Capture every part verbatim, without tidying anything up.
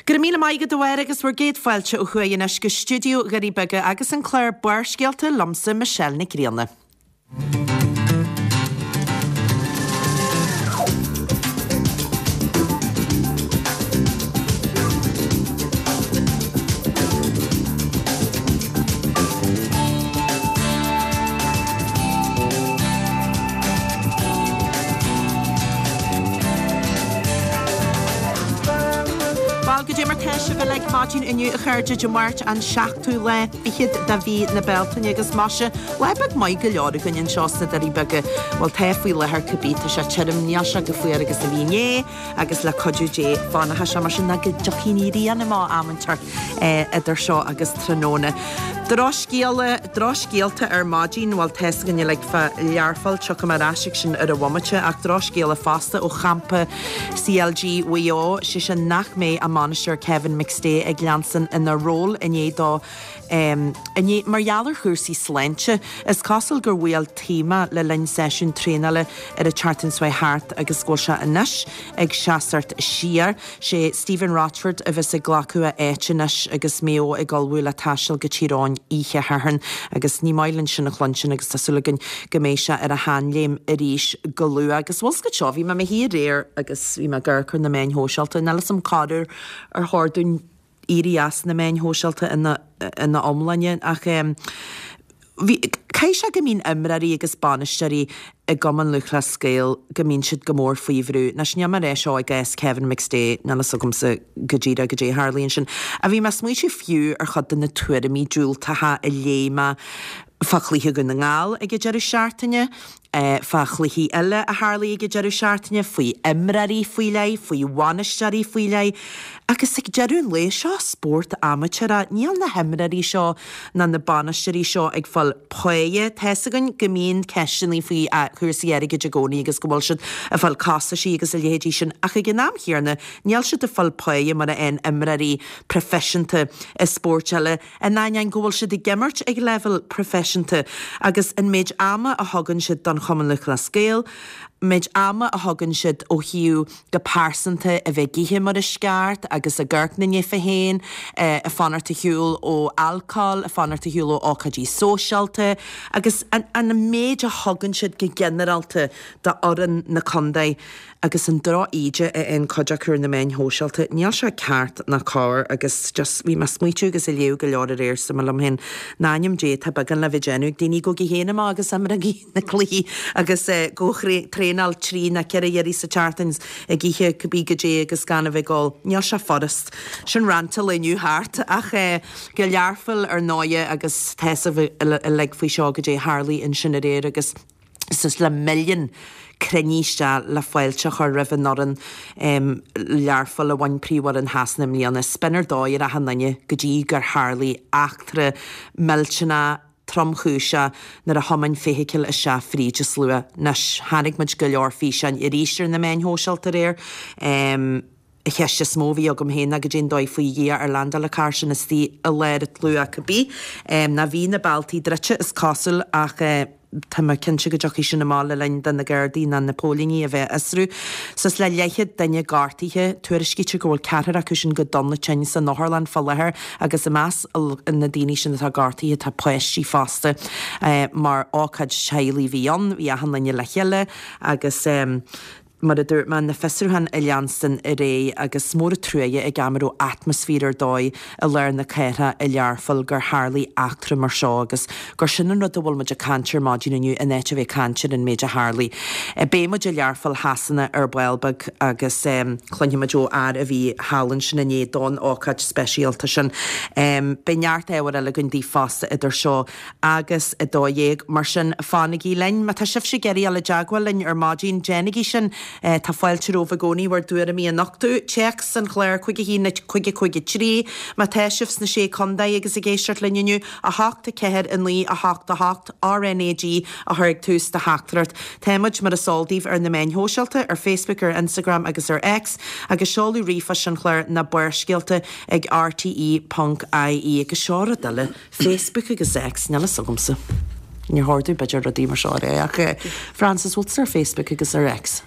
Go raibh míle maith agat a Mháire agus bhur gcéad fáilte ó thuaidh anois go stiúideo Dhoirí Beaga agus an clár Barrscéalta liomsa Michelle Nic Grianna. Bhuel, goidé mar tá sibh uilig maidin inniu a chairde, Dé Máirt an seachtú lá fichead de mhí na Bealtaine agus maise, lá beag maith go leor againn anseo sna Doirí Beaga. Bhuel tá faoi láthair cibé, tá sé tirim, níl sé chomh fuar agus a bhí inné agus le cuidiú Dé fanfaidh sé mar sin nó go dtiocfaidh an ghrian amach am inteacht idir seo agus tráthnóna. Drochscéala, drochscéalta ar maidin, bhuel tá's againn uilig fá Learpholl, tiocfaidh mé ar ais ag sin ar an bhomaite, ach drochscéala fosta ó champa CLG Mhaigh Eo, sé sin nach mbeidh a mbainisteoir Kevin McStay ag leanstan ina ról i ndiaidh dó inné mar gheall ar chúrsaí sláinte. Is cosúil gur bhuail taoma le linn seisiún traenála ar an tseachtain seo thart agus go bhfuil sé anois ag seasacht siar. Sé Stephen Rochford a bheas ag glacadh a áit anois agus Maigh Eo ag ullmhú le taisteal go Tír Eoghain oíche Shathairn agus ní maith linn sin a chluinstin agus tá súil againn go mbeidh sé ar a sheanléim arís go luath. Agus bhfuil 's agat seo, bhí mé i mo shuí aréir agus bhí mé ag amharc ar na meáin shóisialta, níl 'fhios a'm corruair ar chóir dúinn éirí as na meáin shóisialta ina ina iomláine ach bhí, caithfidh sé go mbíonn imreoirí agus bainisteoirí i gCumann Lúthchleas Gael go mbíonn siad go mór faoi bhrú. Anois níl mé ag rá seo i gcás Kevin McStay, níl 'fhios agamsa go díreach goidé a tharlaíonn sin. Ach bhí mé ag smaoitiú fiú ar chuid de na tuairimí diúltacha a léigh mé fá chluiche Dhún na nGall ag an deireadh seachtaine, fá chluichí eile a tharlaigh ag an deireadh seachtaine, faoi imreoirí faoi leith, faoi bhainisteoirí faoi leith. Agus ag deireadh an lae, seo spórt amaitéarach, níl na himreoirí seo ná na bainisteoirí seo ag fáil páighe. Tá's againn go mbíonn ceisteanna faoi chúrsaí airgid i gcónaí agus go bhfuil siad ag fáil costaisí agus a leithéidí sin ach ag an am chéanna níl siad ag fáil páighe mar a fhaigheann imreoirí proifisiúnta i spóirt eile. In ainneoin go bhfuil siad ag imirt ag leibhéal proifisiúnta agus an méid ama a thugann siad don Chumann Lúthchleas Gael, méid ama a thugann siad ó thaobh go pearsanta a bheith ag ithe mar is ceart agus ag amharc na nithe féin, ag fanacht ar shiúl ó alcól, ag fanacht ar shiúl ó ócáidí sóisialta agus an méid a thugann siad go ginearálta d'fhoireann na contae. Agus an droch-íde a fhaigheann cuid acu ar na meáin shóisialta, níl sé ceart ná cóir agus just bhí mé ag smaoitiú agus ag léamh go leor aréir is dúirt mé liom féin, in ainm Dé tá beagán le bheith déanamh ag daoine, gabhaigí féin amach agus imrígí na cluichí agus gabh traenáil trí nó ceithre iarraidh sa tseachtain ag ithe cibé goidé agus gan a bheith ag ól. Níl sé furast. Sin rant an lae inniu thart ach go Learpholl ar ndóighe agus tá 'fhios agaibh uilig faoi seo goidé a tharlaigh ansin aréir agus suas le milliún cruinnithe isteach le fáilte a chur roimh an fhoireann Learpholl a bhain Príomhroinn Shasana i mbliana. 'S b'in ar dóigh ar achan duine go dtí gur tharlaigh eachtra millteanach tromchúiseach nuair a thiomáin feithicil isteach fríd an slua. Anois, chonaic muid go leor físeáin arís ar na meáin shóisialta aréir. An cheist is mó a bhí agam féin ná goidé an dóigh faoi Dhia ar landáil an carr sin istigh i lár an tslua cibé. Ná bhí na bealtaí druidte is cosúil ach tá mé cinnte go dtiocfaidh sin amach le linn do na Gardaí ná na póilíní a bheith ag fiosrú. Suas le leathchéad duine gortaithe, tuairiscítear go bhfuil ceathrar acu sin go dona tinn san otharlann fá láthair agus i measc na daoine sin atá gortaithe tá páistí fosta. Mar ócáid teaghlaigh a bhí ann, bhí achan duine le chéile agus. Mar a dúirt mé, na fiosrúcháin ag leanstan ar aghaidh agus mór an truaighe ag am a raibh atmaisféar ar dóigh i lár na cathrach i Learpholl gur tharlaigh eachtra mar seo agus gur sin an rud a bhfuil muid ag caint ar maidin inniu in áit a bheith ag caint ar an méid a tharlaigh. Beidh muid i Learpholl Shasana ar ball beag agus cluinfidh muid ó fhear a bhí thall ansin inné don ócáid speisialta sin. Beidh neart ábhair eile againn daoibh fosta idir seo agus a dó dhéag. Mar sin, fanaigí linn. Má tá sibhse ag iarraidh dul i dteagmháil linn ar maidin, déanaigí sin. Tá fáilte romhaibh i gcónaí bhur dtuairimí a nochtadh. Téacs an chláir cúig a haon cúig cúig a trí. Má tá sibh sna Sé Contae agus ag éisteacht linn inniu, a hocht a ceathair a naoi a hocht a hocht, RnaG a chur ag tús do theachtaireacht. Tá muid, mar is eol daoibh, ar na meáin shóisialta, ar Facebook, ar Instagram agus ar X, agus seoladh ríomhphoist an chláir ná Barrscéalta ag rte ponc ie. Agus seo rud eile. Facebook agus X, níl fhios agamsa. Níor chóir domh b'fhéidir rudaí mar seo a rá ach eh, Frances, bhfuil tusa ar Facebook agus ar X?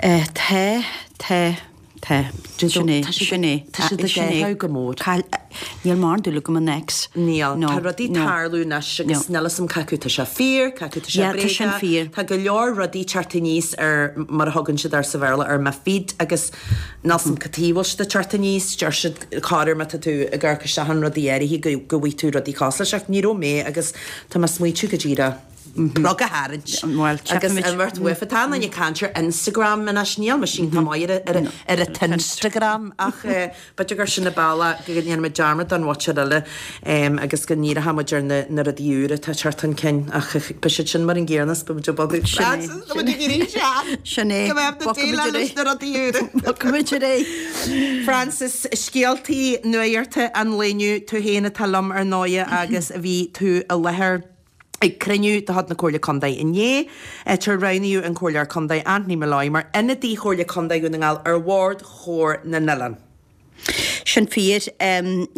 Eh, tá, tá. Tá. Sin é. Sin é. Tá siad ag athrú go mór. Níl mórán dúil agam in X. Níl. Tá rudaí ag tarlú anois agus níl a fhios agam cé acu tá sé fíor, cé acu tá sé bréagach. Tá go leor rudaí ag teacht aníos ar, mar a thugann siad air sa Bhéarla, ar mo feed agus níl a fhios agam cad chuige a bhfuil siad ag teacht aníos. Deir siad corruair má tá tú ag amharc isteach in rudaí áirithe go go bhfaighidh tú rudaí cosúil leis ach ní raibh mé agus tá mé ag smaoitiú go díreach. Plug a tharraingt. Bhuel, Agus imeacht uafa. Tá an ag caint ar Instagram anois, níl mise iontach maith ar ar ar an t-Instagram ach b'fhéidir gur sin an bealach go ndéanfaidh muid dearmad den mhuintir eile agus go ndíreoidh muid ar na na rudaí úra atá ag teacht chun cinn ach beidh siad sin mar an gcéanna is beidh muid ag bogadh. Sin é. Tá muid ag éirí sean. Sin é. Go mbeidh na déileáil leis na rudaí úra. Bogfaimid ar aghaidh. Frances, scéaltaí nuachta an lae inniu, tú féin atá liom ar ndóighe agus bhí tú i láthair ag cruinniú de chuid na Comhairle Contae inné, áit ar roghnaíodh an Comhairleoir Contae Anthony Molloy mar ionadaí Chomhairle Contae Dhún na nGall ar Bhord Chomhar na nOileán. Sin fíor.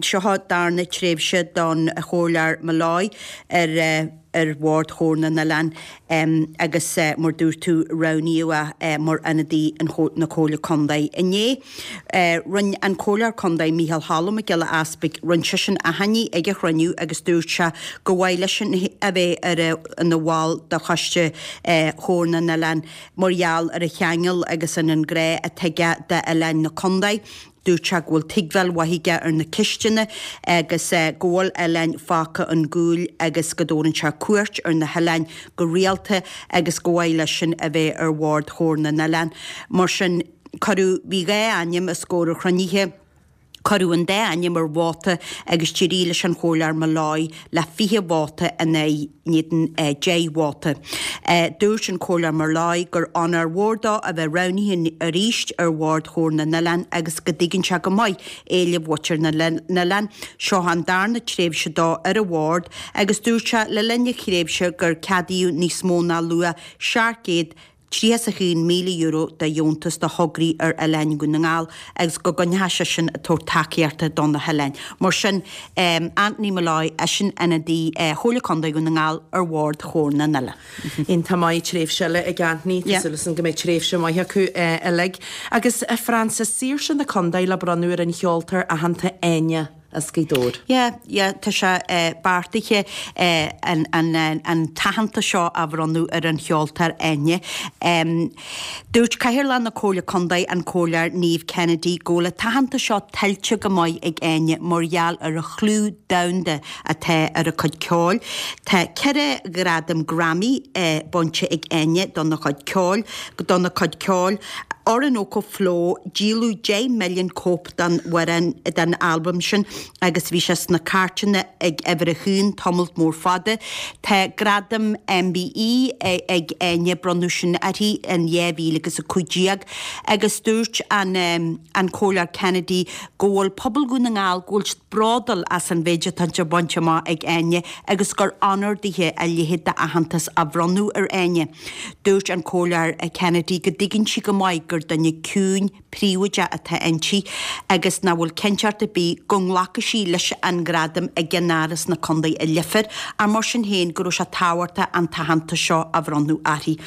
Seo an darna tréimhse don Chomhairleoir Molloy ar ar Bhord Chomhar na nOileán agus mar dúirt tú roghnaíodh é mar ionadaí na Comhairle Contae inné. Rinne an Comhairleoir Contae Micheál Cholm Mac Giolla Easpaig, rinne seisean achainí ag an chruinniú agus dúirt sé gur mhaith leis a bheith ar ina bhall de choiste Chomhar na nOileán mar gheall ar a cheangal agus an an grá atá aige d'oileáin na contae. Dúirt sé go bhfuil tuigbheáil mhaith aige ar na ceisteanna agus go bhfuil oileáin fágtha chun cúil agus go dtabharann sé cuairt ar na hoileáin go rialta agus gur mhaith leisean a bheith ar bhord Chomhar na nOileán. Mar sin, cuireadh, bhí dhá ainm os comhair an chruinnithe, cuireadh an dá ainm ar vóta agus d'éirigh leis an Chomhairleoir Molloy le fiche vóta in aghaidh in éadan deich vóta. Dúirt an Comhairleoir Molloy gur onóir mhór dó a bheith roghnaithe arís ar bhord Chomhar na nOileán agus go dtuigeann sé go maith éilimh mhuintir na n-oileán. Seo an darna tréimhse dó ar an bhord agus dúirt sé le linn a thréimhse gur ceadaíodh níos mó ná luach seacht gcéad tríocha is a haon míle euro de dheontas do thograí ar oileáin Dhún na nGall agus go gcoinneoidh seisean ag tabhairt tacaíochta do na hoileáin. Mar sin, Anthony Molloy, eisean ionadaí Chomhairle Contae Dhún na nGall ar bhord Chomhar na nOileán. Iontach maith, tréimhse eile ag Anthony, tá súil agam go mbeidh tréimhse maith acu uilig. Agus a Frances, Saoirse na Condae le bronnadh ar an cheoltóir aitheanta Áine as Gaoth Dobhair. Yeah, yeah, tá sé beartaithe an an t-aitheantas seo a bhronnadh ar an cheoltóir Áine. Dúirt Cathaoirleach na Comhairle Contae, an Comhairleoir Niamh Kennedy, go bhfuil an t-aitheantas seo tuillte go maith ag Áine mar gheall ar a chlú domhanda atá ar a cuid ceoil. Tá ceithre ghradam Grammy bainte ag Áine dona cuid ceoil, dona cuid ceoil. Orinoco Flow, díoladh deich milliún cóip den amhrán, den albam sin agus bhí sé sna cairteanna ag uimhir a haon tamalt mór fada. Tá gradam MBE ag Áine, bronnadh sin uirthi in dhá mhíle agus a cúig déag agus dúirt an an Comhairleoir Kennedy go bhfuil pobal Dhún na nGall, go bhfuil siad bródúil as an mhéid atá bainte amach ag Áine agus gur onóir dithe a leithéid d'aitheantas a bhronnadh ar Áine. Dúirt an Comhairleoir Kennedy go dtuigeann sí go maith gur duine ciúin, príobháideach atá inti agus nach bhfuil cinnteacht ar bith go nglacfaidh sí leis an ngradam i gceannáras na contae i Leifear ach mar sin féin go raibh sé tábhachtach an t-aitheantas seo a bhronnadh uirthi.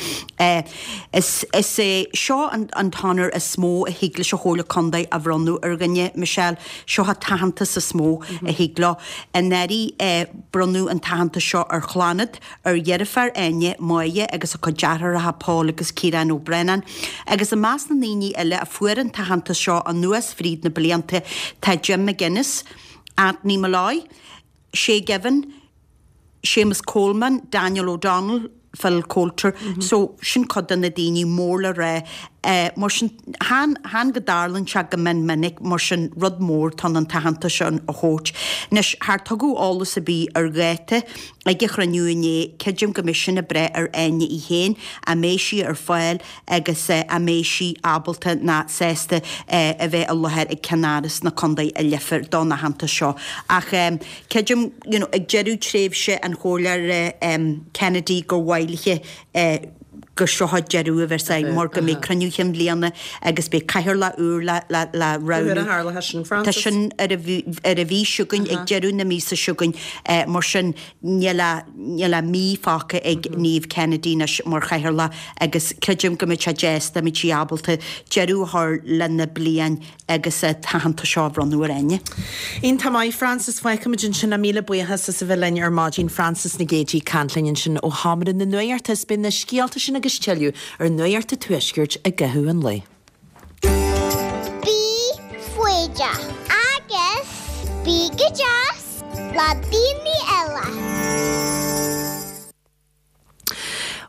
Is is é seo an an t-onóir is mó a thig leis an Chomhairle Contae a bhronnadh ar dhuine, Michelle. Seo an t-aitheantas is mó a thig leo. Anuraidh bronnadh an t-aitheantas seo ar Chlonad, ar dheirfiúr Áine, Máire, agus a cuid deartháireacha Paul agus Ciarán Ó Braonáin. Agus i measc na ndaoine eile a fuair an t-aitheantas seo anuas fríd na blianta tá Jim McGuinness, Anthony Molloy, Shay Given, Séamus Coleman, Daniel O'Donnell, Phil Coulter. So sin cuid de na daoine mór le rá. Mar sin, chan, chan go dtarlaíonn sé go mion minic, mar sin rud mór atá ann an t-aitheantas seo a thabhairt. Anois, char tugadh eolas ar bith ar dháta ag an chruinniú inné, creidim go mbeidh sin ag brath ar Áine í féin, an mbeidh sí ar fáil agus an mbeidh sí ábalta ná sásta a bheith i láthair ag ceannáras na contae i Leifear don aitheantas seo. Ach creidim, you know, ag deireadh tréimhse an Chomhairleora Kennedy gur mhaith léi gur seo deireadh a bheas ann mar go mbeidh cruinniú chinn bliana agus beidh cathaoirleach úr le le le roghnú. Tá sin ar an ar an mhí seo chugainn ag deireadh na míosa seo chugainn mar sin níl ach níl ach mí fágtha ag Niamh Kennedy anois mar chathaoirleach agus creidim go mbeidh sé deas dá mbeadh sí ábalta deireadh a chur lena bliain agus an t-aitheantas seo a bhronnadh ar Áine. Iontach maith Frances, fágfaimid ansin é míle buíochas as a bheith linn ar maidin Frances Nic Géadaigh ag caint linn ansin ó Sheomra na Nuachta is beidh na scéalta sin agus tuilleadh ar Nuacht an Tuaiscirt i gcaitheamh an lae. Bí foighdeach agus bí go deas le daoine eile.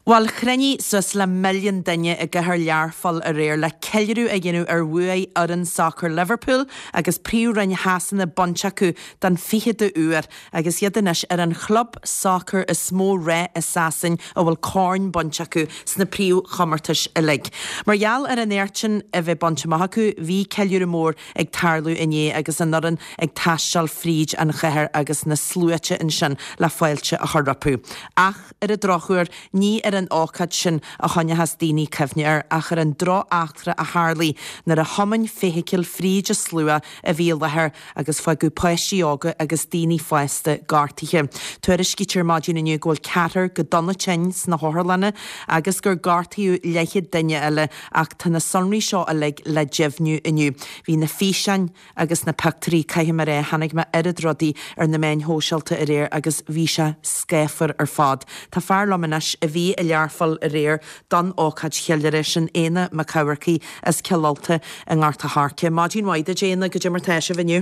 Bhuel, chruinnigh suas le milliún duine i gcathair Learpholl aréir le ceiliúradh a dhéanamh ar bhuaigh fhoireann sacair Liverpool agus Príomhroinn Shasana bainte acu don ficheadú uair agus iad anois ar an chlub sacair is mó rath i Sasain a bhfuil corn bainte acu sna príomhchomórtais uilig. Mar gheall ar an éacht sin a bheith bainte amach acu, bhí ceiliúradh mór ag tarlú inné agus an fhoireann ag taisteal fríd an chathair agus na sluaite ansin le fáilte a chur rompu. Ach ar an drochuair, ní ar an ócáid sin a choinneochas daoine cuimhne air ach ar an drocheachtra a tharlaigh nuair a thiomáin feithicil fríd an slua a bhí i láthair agus fágadh páistí óga agus daoine fásta gortaithe. Tuairiscítear maidin inniu go bhfuil ceathrar go dona tinn sna hotharlanna agus gur gortaíodh leathchéad duine eile ach tá na sonraí seo uilig le deimhniú inniu. Bhí na físeáin agus na pictiúirí, caithfidh mé a rá, chonaic mé oiread rudaí ar na meáin shóisialta aréir agus bhí sé scáfar ar fad. Tá fear liom anois a bhí i Learpholl aréir don ócáid cheiliúrtha sin Éanna Mac Eamharcaigh as Cill Ulta i nGort a' Choirce. Maidin mhaith duit Éanna, goidé mar tá sibh inniu?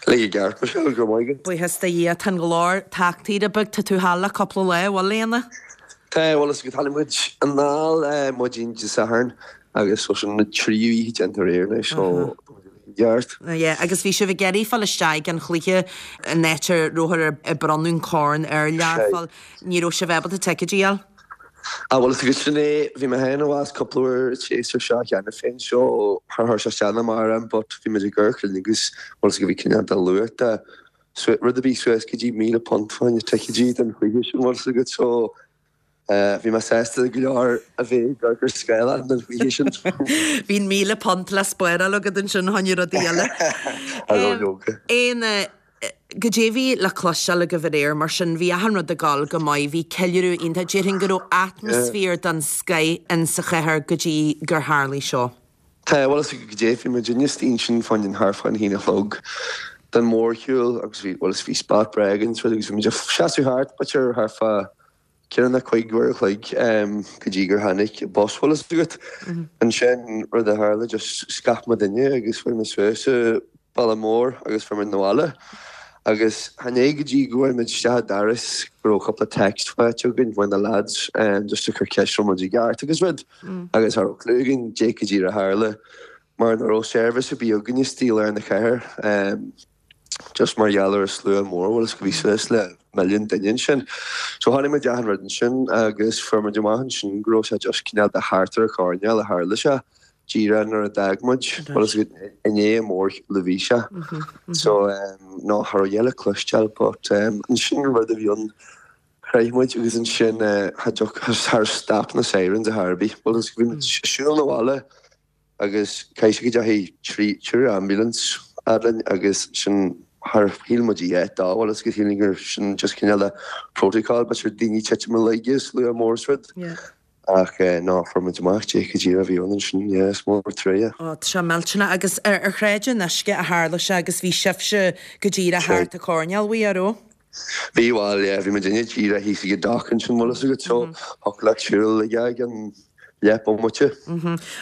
Uilig i gceart, Michelle, go raibh maith agat. Buíochas do Dhia, tá an glór tagtha beag, tá tú thall le cúpla lá, an bhfuil Éanna? Tá, bhuel is go tháinig muid anall maidin Dé Sathairn agus so sin na tríú oíche déanta aréir anois so i gceart. Yeah, agus bhí sibh ag iarraidh fáil isteach ag an chluiche an áit a rabhthar ag bronnadh an corn ar Learpholl. Ní raibh sibh ábalta ticéidí a fháil? Ah bhuel is agus sin é, bhí mé féin abhus cúpla uair an séasúr seo cheana féin so char chuir sé isteach ná amach orm but bhí muid ag amharc linn agus bhuel is go bhí cineál de luach de rud a bhí suas go dtí míle punt fá choinne ticéidí don chluiche sin bhuel is agat so Bhí mé sásta go leor a bheith ag amharc ar scáileán don chluiche sin. Bhí an míle punt le spáráil agat ansin fá choinne rudaí eile. Leoga. Éanna, goidé a bhí le cloisteáil agaibh aréir mar sin, bhí achan rud ag dul go maith, bhí ceiliúradh iontach, déarfainn go raibh atmaisféar den scoith in sa chathair go dtí gur tharlaigh seo. Tá, bhuel is goidé, bhí muidinne istigh ansin fá choinne thart fá a haon a chlog don mhórshiúl agus bhí, bhuel is bhí spot breá againn is rud agus bhí muid ag seasamh thart, b'fhéidir thart fá ceithre nó cúig uair a chloig go dtí gur tháinig bus, bhfuil fhios agat. Ansin rud a tharla just scaip muidinne agus fuair muid suas an bealach mór agus fuair muid 'na bhaile. Agus chan é go dtí go bhfuair muid isteach an doras go raibh cúpla text faighte againn ó na lads just ag cur ceist raibh muid i gceart agus rud. Agus cha raibh clue againn dé go díreach a tharla mar nach raibh service ar bith againn istigh i lár na cathair. Just mar gheall ar an slua mór, bhfuil fhios go bhí suas le milliún duine ansin. So chonaic muid achan rud ansin agus fuair muid amach ansin go raibh sé just cineál de thart ar an choirnéal a tharla sé, díreach nuair a d'fhág muid, bhfuil fhios agat, i ndiaidh an mhórshiúil a bhí sé. So no, cha raibh a dhath le cloisteáil but ansin an rud a bhí ann, shroich muid agus ansin char stop na sirens ar chor ar bith, bhfuil fhios agat, bhí muid ag siúl 'na bhaile agus caithfidh sé go dteachaigh trí triúr ambulance fhad linn agus sin char shíl muid a dhath dó, bhfuil fhios agat, shíl gur sin just cineál de protocol, b'fhéidir daoine titim i laige, slua mór is rud. Ach no, fuair muid amach dé go díreach a bhí ann ansin, yeah, is mór truaighe. Ó, tá sé millteanach agus ar ar Shráid an Uisce a tharla sé agus bhí sibhse go díreach thart an choirnéal uaidh, an raibh? Bhí, bhuel, yeah, bhí muidinne díreach thíos ag an dock ansin, bhfuil fhios agat, so thiocfadh leat siúl aige i gcionn leath bomaite.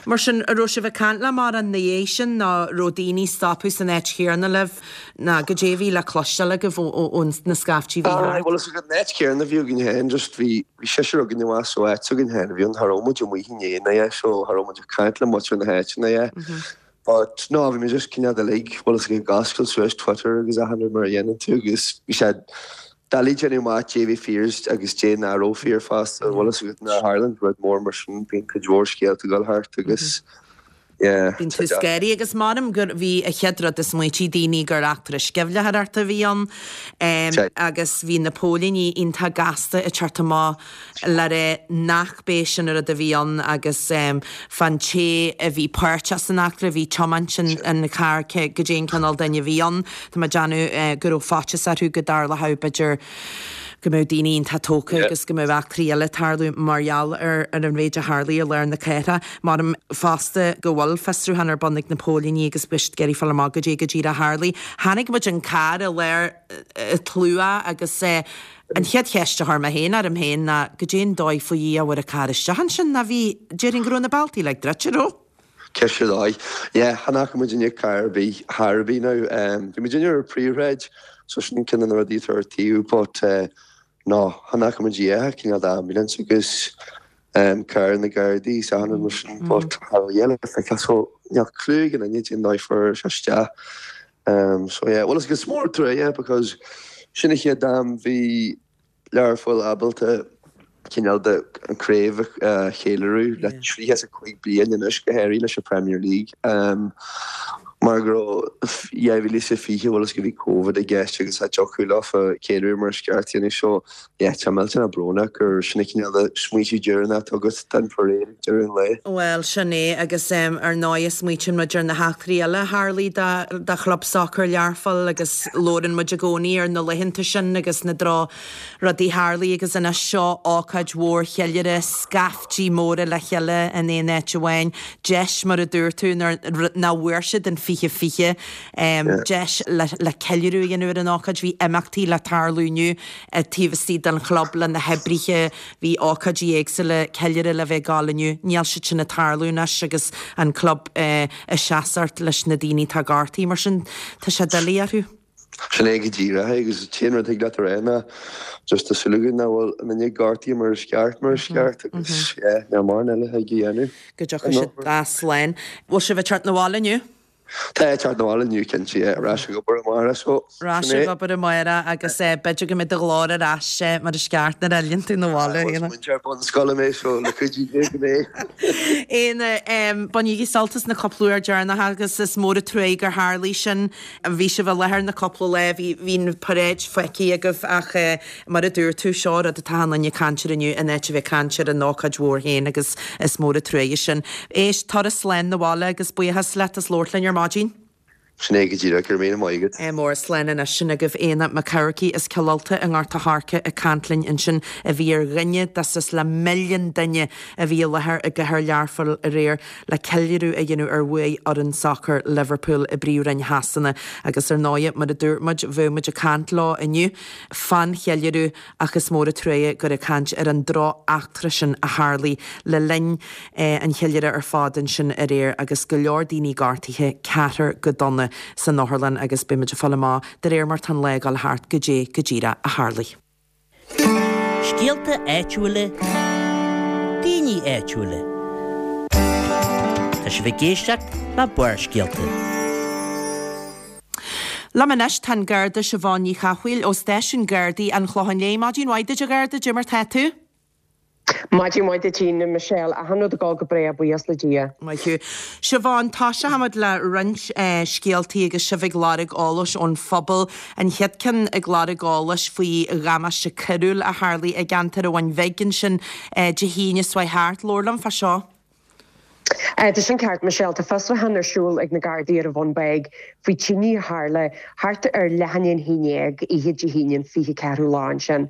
Mar sin, an raibh sibh ag caint le mórán ina dhiaidh sin nó an raibh daoine ag stopadh san áit chéanna libh nó goidé a bhí le cloisteáil agaibh ó na scaiftí a bhí Aye, thart? bhfuil fhios agat, an áit chéanna a bhí againn féin, just bhí, bhí seisear againn abhus ó áit s'againn féin a bhí ann, cha raibh muid amuigh inné ná é, so cha raibh muid ag caint le muintir na háite ná é. But no, bhí mé just cineál de like, bhfuil fhios agat, ag oscailt suas Twitter agus achan rud mar a dhéanann tú agus bhí sé doiligh déanamh amach dé bhí fíor agus dé nach raibh fíor fosta, bhfuil fhios agat, nuair a tharlaíonn rud mór mar sin bíonn cuid mhór scéalta ag dul thart agus Yeah, Bíonn tú scary agus measaim gur bhí an chéad rud a smaointigh daoine gur eachtra sceimhlitheoireachta a bhí ann agus bhí na póilíní iontach gasta ag teacht amach le rá nach b'é sin an rud a bhí ann agus fán té a bhí páirteach san eachtra bhí tiomáint an chairr goidé an cineál duine a bhí ann. Tá mé ag déanamh go raibh faitíos orthu go dtarlódh b'fhéidir go mbeadh daoine iontach tógtha agus go mbeadh eachtraí eile ag tarlú mar gheall ar an mhéid a tharlaigh i lár na cathrach. Measaim fosta go bhfuil fiosrúchán ar bun ag na póilíní agus beidh siad ag iarraidh fáil amach goidé go díreach a tharlaigh. Chonaic muid an carr i lár an tslua agus an chéad cheist a chuir mé féin orm féin ná goidé an dóigh faoi Dhia a bhfuair an carr isteach ansin ná bhí, déarfainn go raibh na bealtaí uilig druidte, raibh? Ceist ar dóigh. Yeah, chan fhaca muid inniu carr ar bith, thar ar bith now. Bhí muid inniu ar an príomhshráid so sin ceann de na rudaí atá ar taobh but no, chan fhaca muid a dhath, cineál d'ambulance agus carr na Gardaí is achan rud mar sin but cha raibh a dhath le feiceáil so níl clue ag aon duine cén dóigh fuair sé isteach. So yeah, well is mór an trua é because sin an chéad am bhí Learpholl ábalta cineál de an craobh a cheiliúradh le tríocha is a cúig bliain anois, go háirithe leis an Premier League, mar go raibh dhá mhíle is a fiche, bhuel is go bhí Covid i gceist agus cha dtiocfadh leofa ceiliúradh mar is ceart a dhéanamh so yeah tá millteanach brónach gur sin an cineál de smaoitiú deireanach atá agat den parade ag deireadh an lae. Bhuel sin é agus ar ndóigh smaoitíonn muid ar na heachtraí eile a tharlaigh do chlub sacair Learpholl agus labhrann muid i gcónaí ar na laethanta sin agus na droch rudaí a tharlaigh agus anois seo ócáid mhór cheiliúrtha, scaiftí móra le chéile in aon áit amháin, deis mar a dúirt tú nuair nach bhfuair siad an fiche fiche, deis le le ceiliúradh a dhéanamh ar an ócáid, bhí imeachtaí le tarlú inniu taobh istigh den chlub le na hoibrithe, bhí ócáidí éagsúla ceiliúradh le bheith ag gabháil inniu, níl siad sin ag tarlú anois agus an club ag seasamh leis na daoine atá gortaithe, mar sin tá sé doiligh orthu. Sin é go díreach é agus an t-aon rud a thig leat a rá ná just tá súil againn nach bhfuil aon duine gortaithe mar is ceart mar is ceart agus yeah níl mórán eile a thig a dhéanamh. Go dtiocfaidh siad as slán. Bhfuil sibh ag teacht 'na bhaile inniu? Tá, ag teacht 'na bhaile inniu cinnte, yeah, ar ais ag obair amárach so Ar ais sin é. ag obair amárach agus b'fhéidir go mbeidh do ghlór ar ais mar is ceart nuair a fhilleann tú 'na bhaile, Is Éanna. múinteoir bunscoile mé so le cuidiú Dé go mbeidh. Éanna, bainigí sult as na cúpla uair deireanach agus is mór an truaigh gur tharlaigh sin. Bhí sibh i láthair na cúpla lá, bhí bhí an paráid feicthe agaibh ach mar a dúirt tú, seo rud atá achan duine ag caint air inniu in áit a bheith ag caint ar an ócáid mhór féin agus is mór an truaighe sin. Éist, turas slán 'na bhaile agus buíochas leat as labhairt linn ar maidin. Sin é go díreach, go raibh míle maith agat. Ádh mór, slán anois. Sin agaibh Éanna Mac Eamharcaigh as Cill Ulta i nGort a' Choirce ag caint linn ansin a bhí ar dhuine de suas le milliún duine a bhí i láthair i gcathair Learphoill aréir le ceiliúradh a dhéanamh ar bhuaigh fhoireann sacair Liverpool i bPríomhroinn Shasana agus ar ndóigh mar a dúirt muid bheadh muid ag caint leo inniu fán cheiliúradh ach is mór an truaighe gur ag caint ar an droch-eachtra sin a tharlaigh le linn an cheiliúradh ar fad ansin aréir agus go leor daoine gortaithe, ceathrar go dona san otharlann agus beidh muid ag fáil amach de réir mar tá an lá ag dul thart goidé go díreach a tharlaigh. Scéalta áitiúla, daoine áitiúla. Tá sibh ag éisteacht le Barrscéalta. Liom anois tá an Garda Siobhán Ní Chathmhaoil ó Stáisiún Gardaí an Chlocháin Léith. Maidin mhaith duit a Gharda, goidé mar tá tú? Maidin mhaith duit a Michelle, achan rud ag dul go breá, buíochas le Dia. Maith thú. Siobhán, tosóidh muid le roinnt scéaltaí agus sibh ag lorg eolais ón phobal. An chéad ceann ag lorg eolais faoi dhamáiste coiriúil a tharlaigh i gceantar an Bhun Bhig ansin Dé hAoine seo chuaigh thart. Labhair liom fá seo. Tá sin ceart, Michelle. Tá fiosrúchán ar siúl ag na Gardaí ar an Bhun Beag faoi tine a tharla thart ar leath i ndiaidh a haon déag oíche Dé hAoine an fiche ceathrú lá ansin.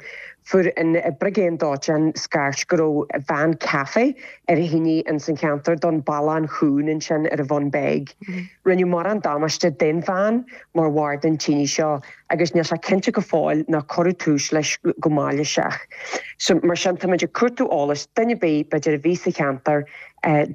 Fuair an Brigéan Dóiteáin scairt go raibh veain caife ar thine ins an cheantar don Ballán Chúin ansin ar an Bhun Beag. Rinneadh mórán damáiste den veain mar bharr den tine seo agus níl sé cinnte go fóill nár cuireadh tús leis go mailíseach. So mar sin táimid ag cuartú eolas, duine ar bith b'fhéidir a bhí sa cheantar,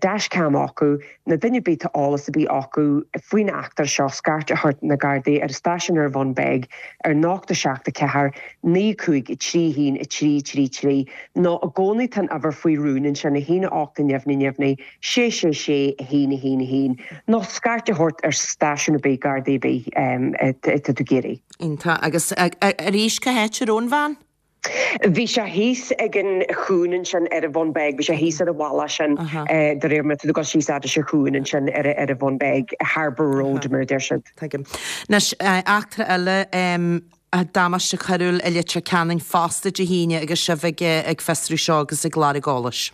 dashcam acu, nó duine ar bith tá eolas ar bith acu faoin eachtra seo, scairt a thabhairt na Gardaí ar an stáisiún ar an Bhun Beag ar an ocht a seacht a ceathair naoi cúig a trí haon a trí trí trí nó i gcónaí tá an uimhir faoi rún ansin, a haon a ocht a neamhní neamhní sé sé sé a haon a haon a haon nó scairt a thabhairt ar stáisiún ar bith Gardaí ar bith atá tú ag iarraidh. Iontach. Agus arís cá háit a raibh an veain? Bhí sé thíos ag an chuan ansin ar an Bhun Beag, bhí sé thíos ar an bhealach sin de réir mar tú go síos fhad leis an chuan ansin ar ar an Bhun Beag, Harbour Road mar a deir siad. Tuigim. Anois eachtra eile damáiste coiriúil i Leitir Ceanainn fosta Dé hAoine agus sibh ag ag fiosrú seo agus ag lorg eolais.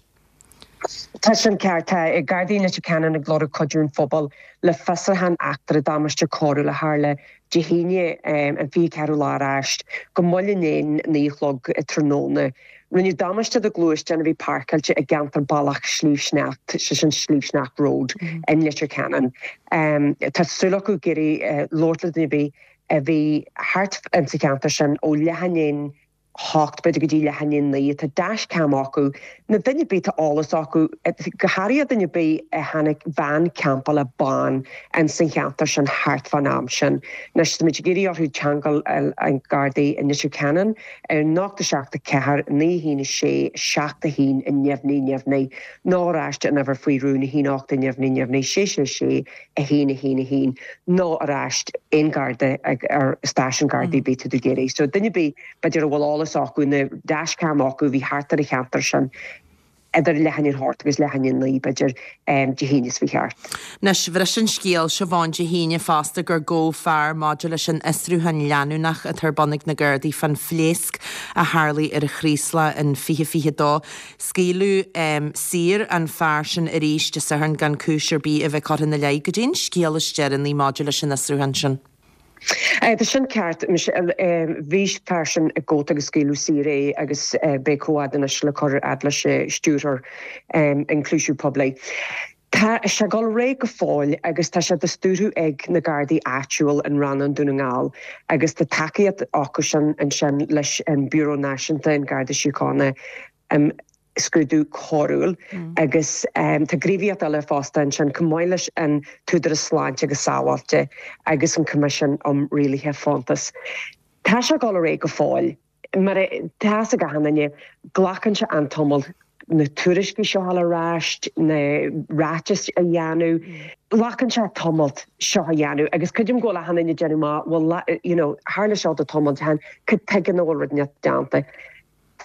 Tá sin ceart. Tá Gardaí Leitir Ceanainn ag lorg cuidiú an phobail le fiosrúchán eachtra damáiste coiriúil a tharla Dé hAoine an fiche ceathrú lá aráist go moll i ndiaidh a naoi a chlog tráthnóna. Rinneadh damáiste do ghluaisteán a bhí páirceáilte i gceantar Bealach Sliabh Sneacht, sé sin Sliabh Sneacht Road in Leitir Ceanainn. Tá súil acu ag iarraidh labhairt le duine ar bith a bhí thart insa cheantar sin ó leath i ndiaidh a hocht b'fhéidir go dtí leath i ndiaidh a naoi. Tá dashcam acu, nó duine ar bith tá eolas acu, go háirithe duine ar bith a chonaic veain campála bán in san cheantar sin thart fán am sin. Anois táimid ag iarraidh orthu teagmháil an Gardaí i Leitir Ceanainn ar nocht a seacht a ceathair naoi haon a sé seacht a haon neamhní neamhní nó ar ais an uimhir faoi rún a haon ocht neamhní neamhní sé sé sé a haon a haon a haon nó ar ais aon Garda ar stáisiún Gardaí bith tú ag iarraidh. So duine ar bith b'fhéidir a bhfuil eolas acu nó dashcam acu bhí thart ar an cheantar sin idir leath i ndiaidh a hocht agus leath i ndiaidh a naoi b'fhéidir Dé hAoine is fiche thart. Anois, bhris an scéal Siobhán Dé hAoine fosta gur gabhadh fear maidir leis an fhiosrúchán leanúnach atá ar bun ag na Gardaí fán phléasc a tharlaigh ar an Chraoslach in fiche fiche dó. Scaoileadh saor an fear sin arís Dé Sathairn gan cúis ar bith a bheith curtha ina leith. Goidé an scéal is deireanaí maidir leis an fhiosrúchán sin? Tá sin ceart. Bhí fear sin gafa agus scaoileadh saor é agus beidh comhad anois le cur fhad leis stiúrthóir ionchúiseamh poiblí. Tá sé ag dul ar aghaidh go fóill agus tá sé á stiúradh ag na Gardaí áitiúil in Rannán Dún na nGall agus tá tacaíocht acu sin ansin leis an Bureau Náisiúnta an Garda Síochána um scrúdú coiriúil agus tá gníomhaíocht eile fosta ansin chomh maith leis an tÚdarás Sláinte agus Sábháilte agus an Coimisiún um Rialuithe Fóntas. Tá sé ag dul ar aghaidh go fóill mar tá a fhios ag achan duine glacann sé an-tamall na tuairiscí seo a fháil ar ais, na ráitis a dhéanamh. Glacann sé tamall seo a dhéanamh agus creidim go bhfuil achan duine ag déanamh maith well you know tharla seo do tamall han cad tuige nach bhfuil rud déanta.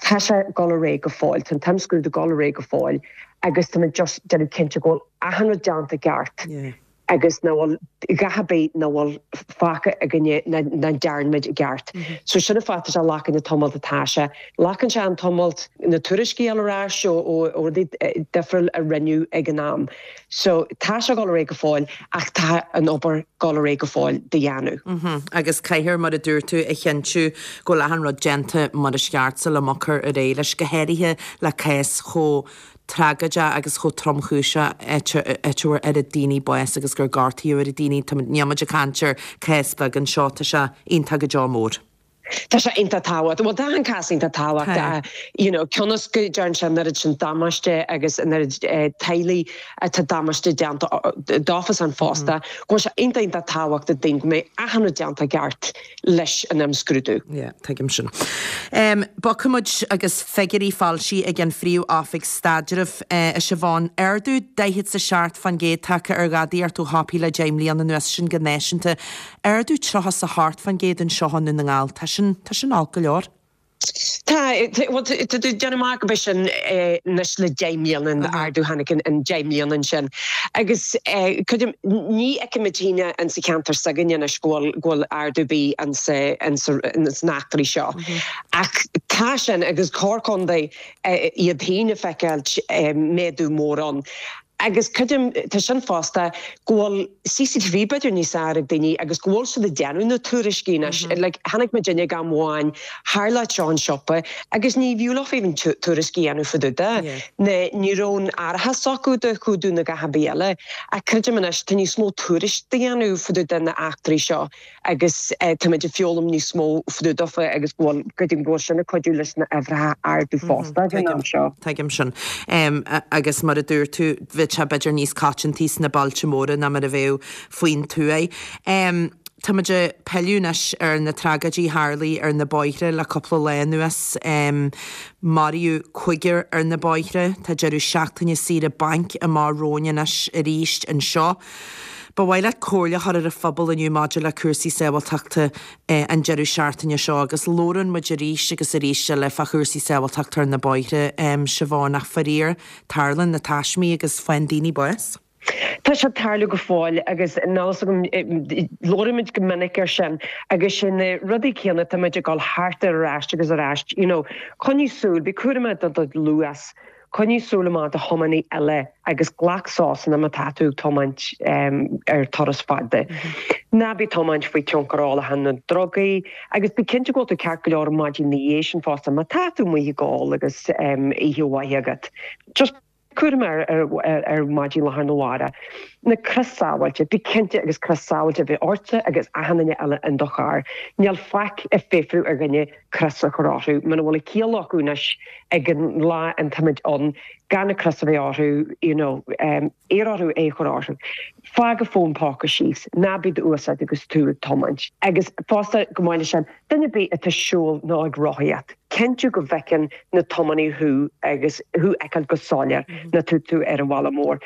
Tá sé ag dul ar aghaidh go fóill, tá an t-imscrúdú ag dul ar aghaidh go fóill agus tá muid just déanamh cinnte go bhfuil achan rud déanta ceart agus nach bhfuil a dhath ar bith nach bhfuil fágtha againne nach ndearna muid i gceart. So sin an fáth tá sé ag glacadh an tamall atá sé. Glacann sé an tamall na tuairiscí a fháil ar ais ó rudaí difriúil a rinneadh ag an am. So tá sé ag dul ar aghaidh go fóill ach tá an obair ag dul ar aghaidh go fóill de dhéanamh. Agus caithfear mar a dúirt tú a chinntiú go bhfuil achan rud déanta mar is ceart sula mbogfar ar aghaidh leis, go háirithe le cás chomh tragóideach agus chomh tromchúiseach áit a bhfuair oiread daoine bás agus gur gortaíodh oiread daoine. Níl muid ag caint ar cás beag anseo, tá sé iontach go deo mór. Tá sé iontach tábhachtach. Bhuel tá an cás iontach tábhachtach. You know, cionn is go dtearn sé an oiread sin damáiste agus an oiread teaghlaigh atá damáiste déanta dófa an fosta, go bhfuil sé iontach iontach tábhachtach dúinn go mbeidh achan rud déanta ceart leis an imscrúdú. Yeah, tuigim sin. Um, Bogfaidh muid agus figiúirí foilsithe ag an Phríomh-Oifig Staidrimh uh, a Siobhán. Ardú daichead is a seacht faoin gcéad tagtha ar ghadaíocht ó shiopaí le deich mbliana anuas sin go náisiúnta. Ardú tríocha is a hocht faoin gcéad anseo i nDún na nGall. Tá sin tá sin olc go leor. Tá déanamh amach go sin anois le deich mbliana an ardú tháinig an deich mbliana sin. Agus ní fheicimid féin an sa cheantar s'againne anois go bhfuil go bhfuil ardú bí an sna heachtraí seo. Ach tá sin agus corcondaí iad féin a feiceáilt méadú mór ann. Agus creidim tá sin fosta go bhfuil C C T V b'fhéidir níos fearr ag daoine agus go bhfuil siad ag déanamh na tuairiscí anois. Like tháinig muid duine gan amháin tharla seo an siopa agus ní bhfiú leofa even tuairiscí a dhéanamh fá dtaobh de. Na ní raibh an árachas acu do chumhdú na gach bí eile. Ach creidim anois tá níos mó tuairisc a dhéanamh fá dtaobh de na heachtraí seo agus táimid ag foghlaim níos mó fá dtaobh daofa agus go bhfuil creidim go bhfuil sin ag cuidiú leis na uimhreacha ardú fosta ag an am seo. Tuigim sin. Um, agus mar a dúirt tú bhí sé b'fhéidir níos coitianta sna bailte móra ná mar a bheadh faoin tuath. Um, Tá muid ag pilleadh anois ar na tragóidí a tharla ar na bóithre le cúpla lá anuas. Um, Maraíodh cúigear ar na bóithre, Tá deireadh seachtaine saoire bainc amach romhainn anois arís anseo. Ba mhaith leat comhairle a chur ar an phobal inniu maidir le cúrsaí sábháilteachta an deireadh seachtaine seo agus labhrann muid arís agus arís eile fá chúrsaí sábháilteachta ar na bóithre, Siobhán, ach faraor, tarlaíonn na taismí agus faigheann daoine bás. Tá sé ag tarlú go fóill agus níl a fhios agam, labhraímid go minic air sin agus sin na rudaí céanna, tá muid ag dul thart ar ais agus ar ais, you know, coinnigh súil, bí cúramach do do luas. Coinnigh súil amach do thiománaí eile agus glac sosanna má tá tú ag tiomáint ar turas fada. Ná bí ag tiomáint faoi tionchar ólacháin nó drugaí agus bí cinnte go bhfuil tú ceart go leor an maidin ina dhiaidh sin fosta má tá tú amuigh ag ól agus oíche mhaith agat. Just cúramach ar maidin lá arna mhárach. Na crios sábháilte, bí cinnte agus crios sábháilte a bheith ortsa agus achan duine eile in do charr. Níl faic ag fiafrú ar dhuine crios a chur orthu. Muna bhfuil a ciall acu anois ag an lá an táimid ann gan na crios a bheith orthu, you know, iarr orthu é a chur orthu. Fág an fón póca síos, ná bí dá úsáid agus tú ag tiomáint. Agus fosta, chomh maith leis sin, duine ar bith atá ag siúl nó ag rothaíocht, cinntiú go bhfeiceann na tiománaithe thú agus thú a fheiceáil go soiléir nuair atá tú ar an bhaile mór.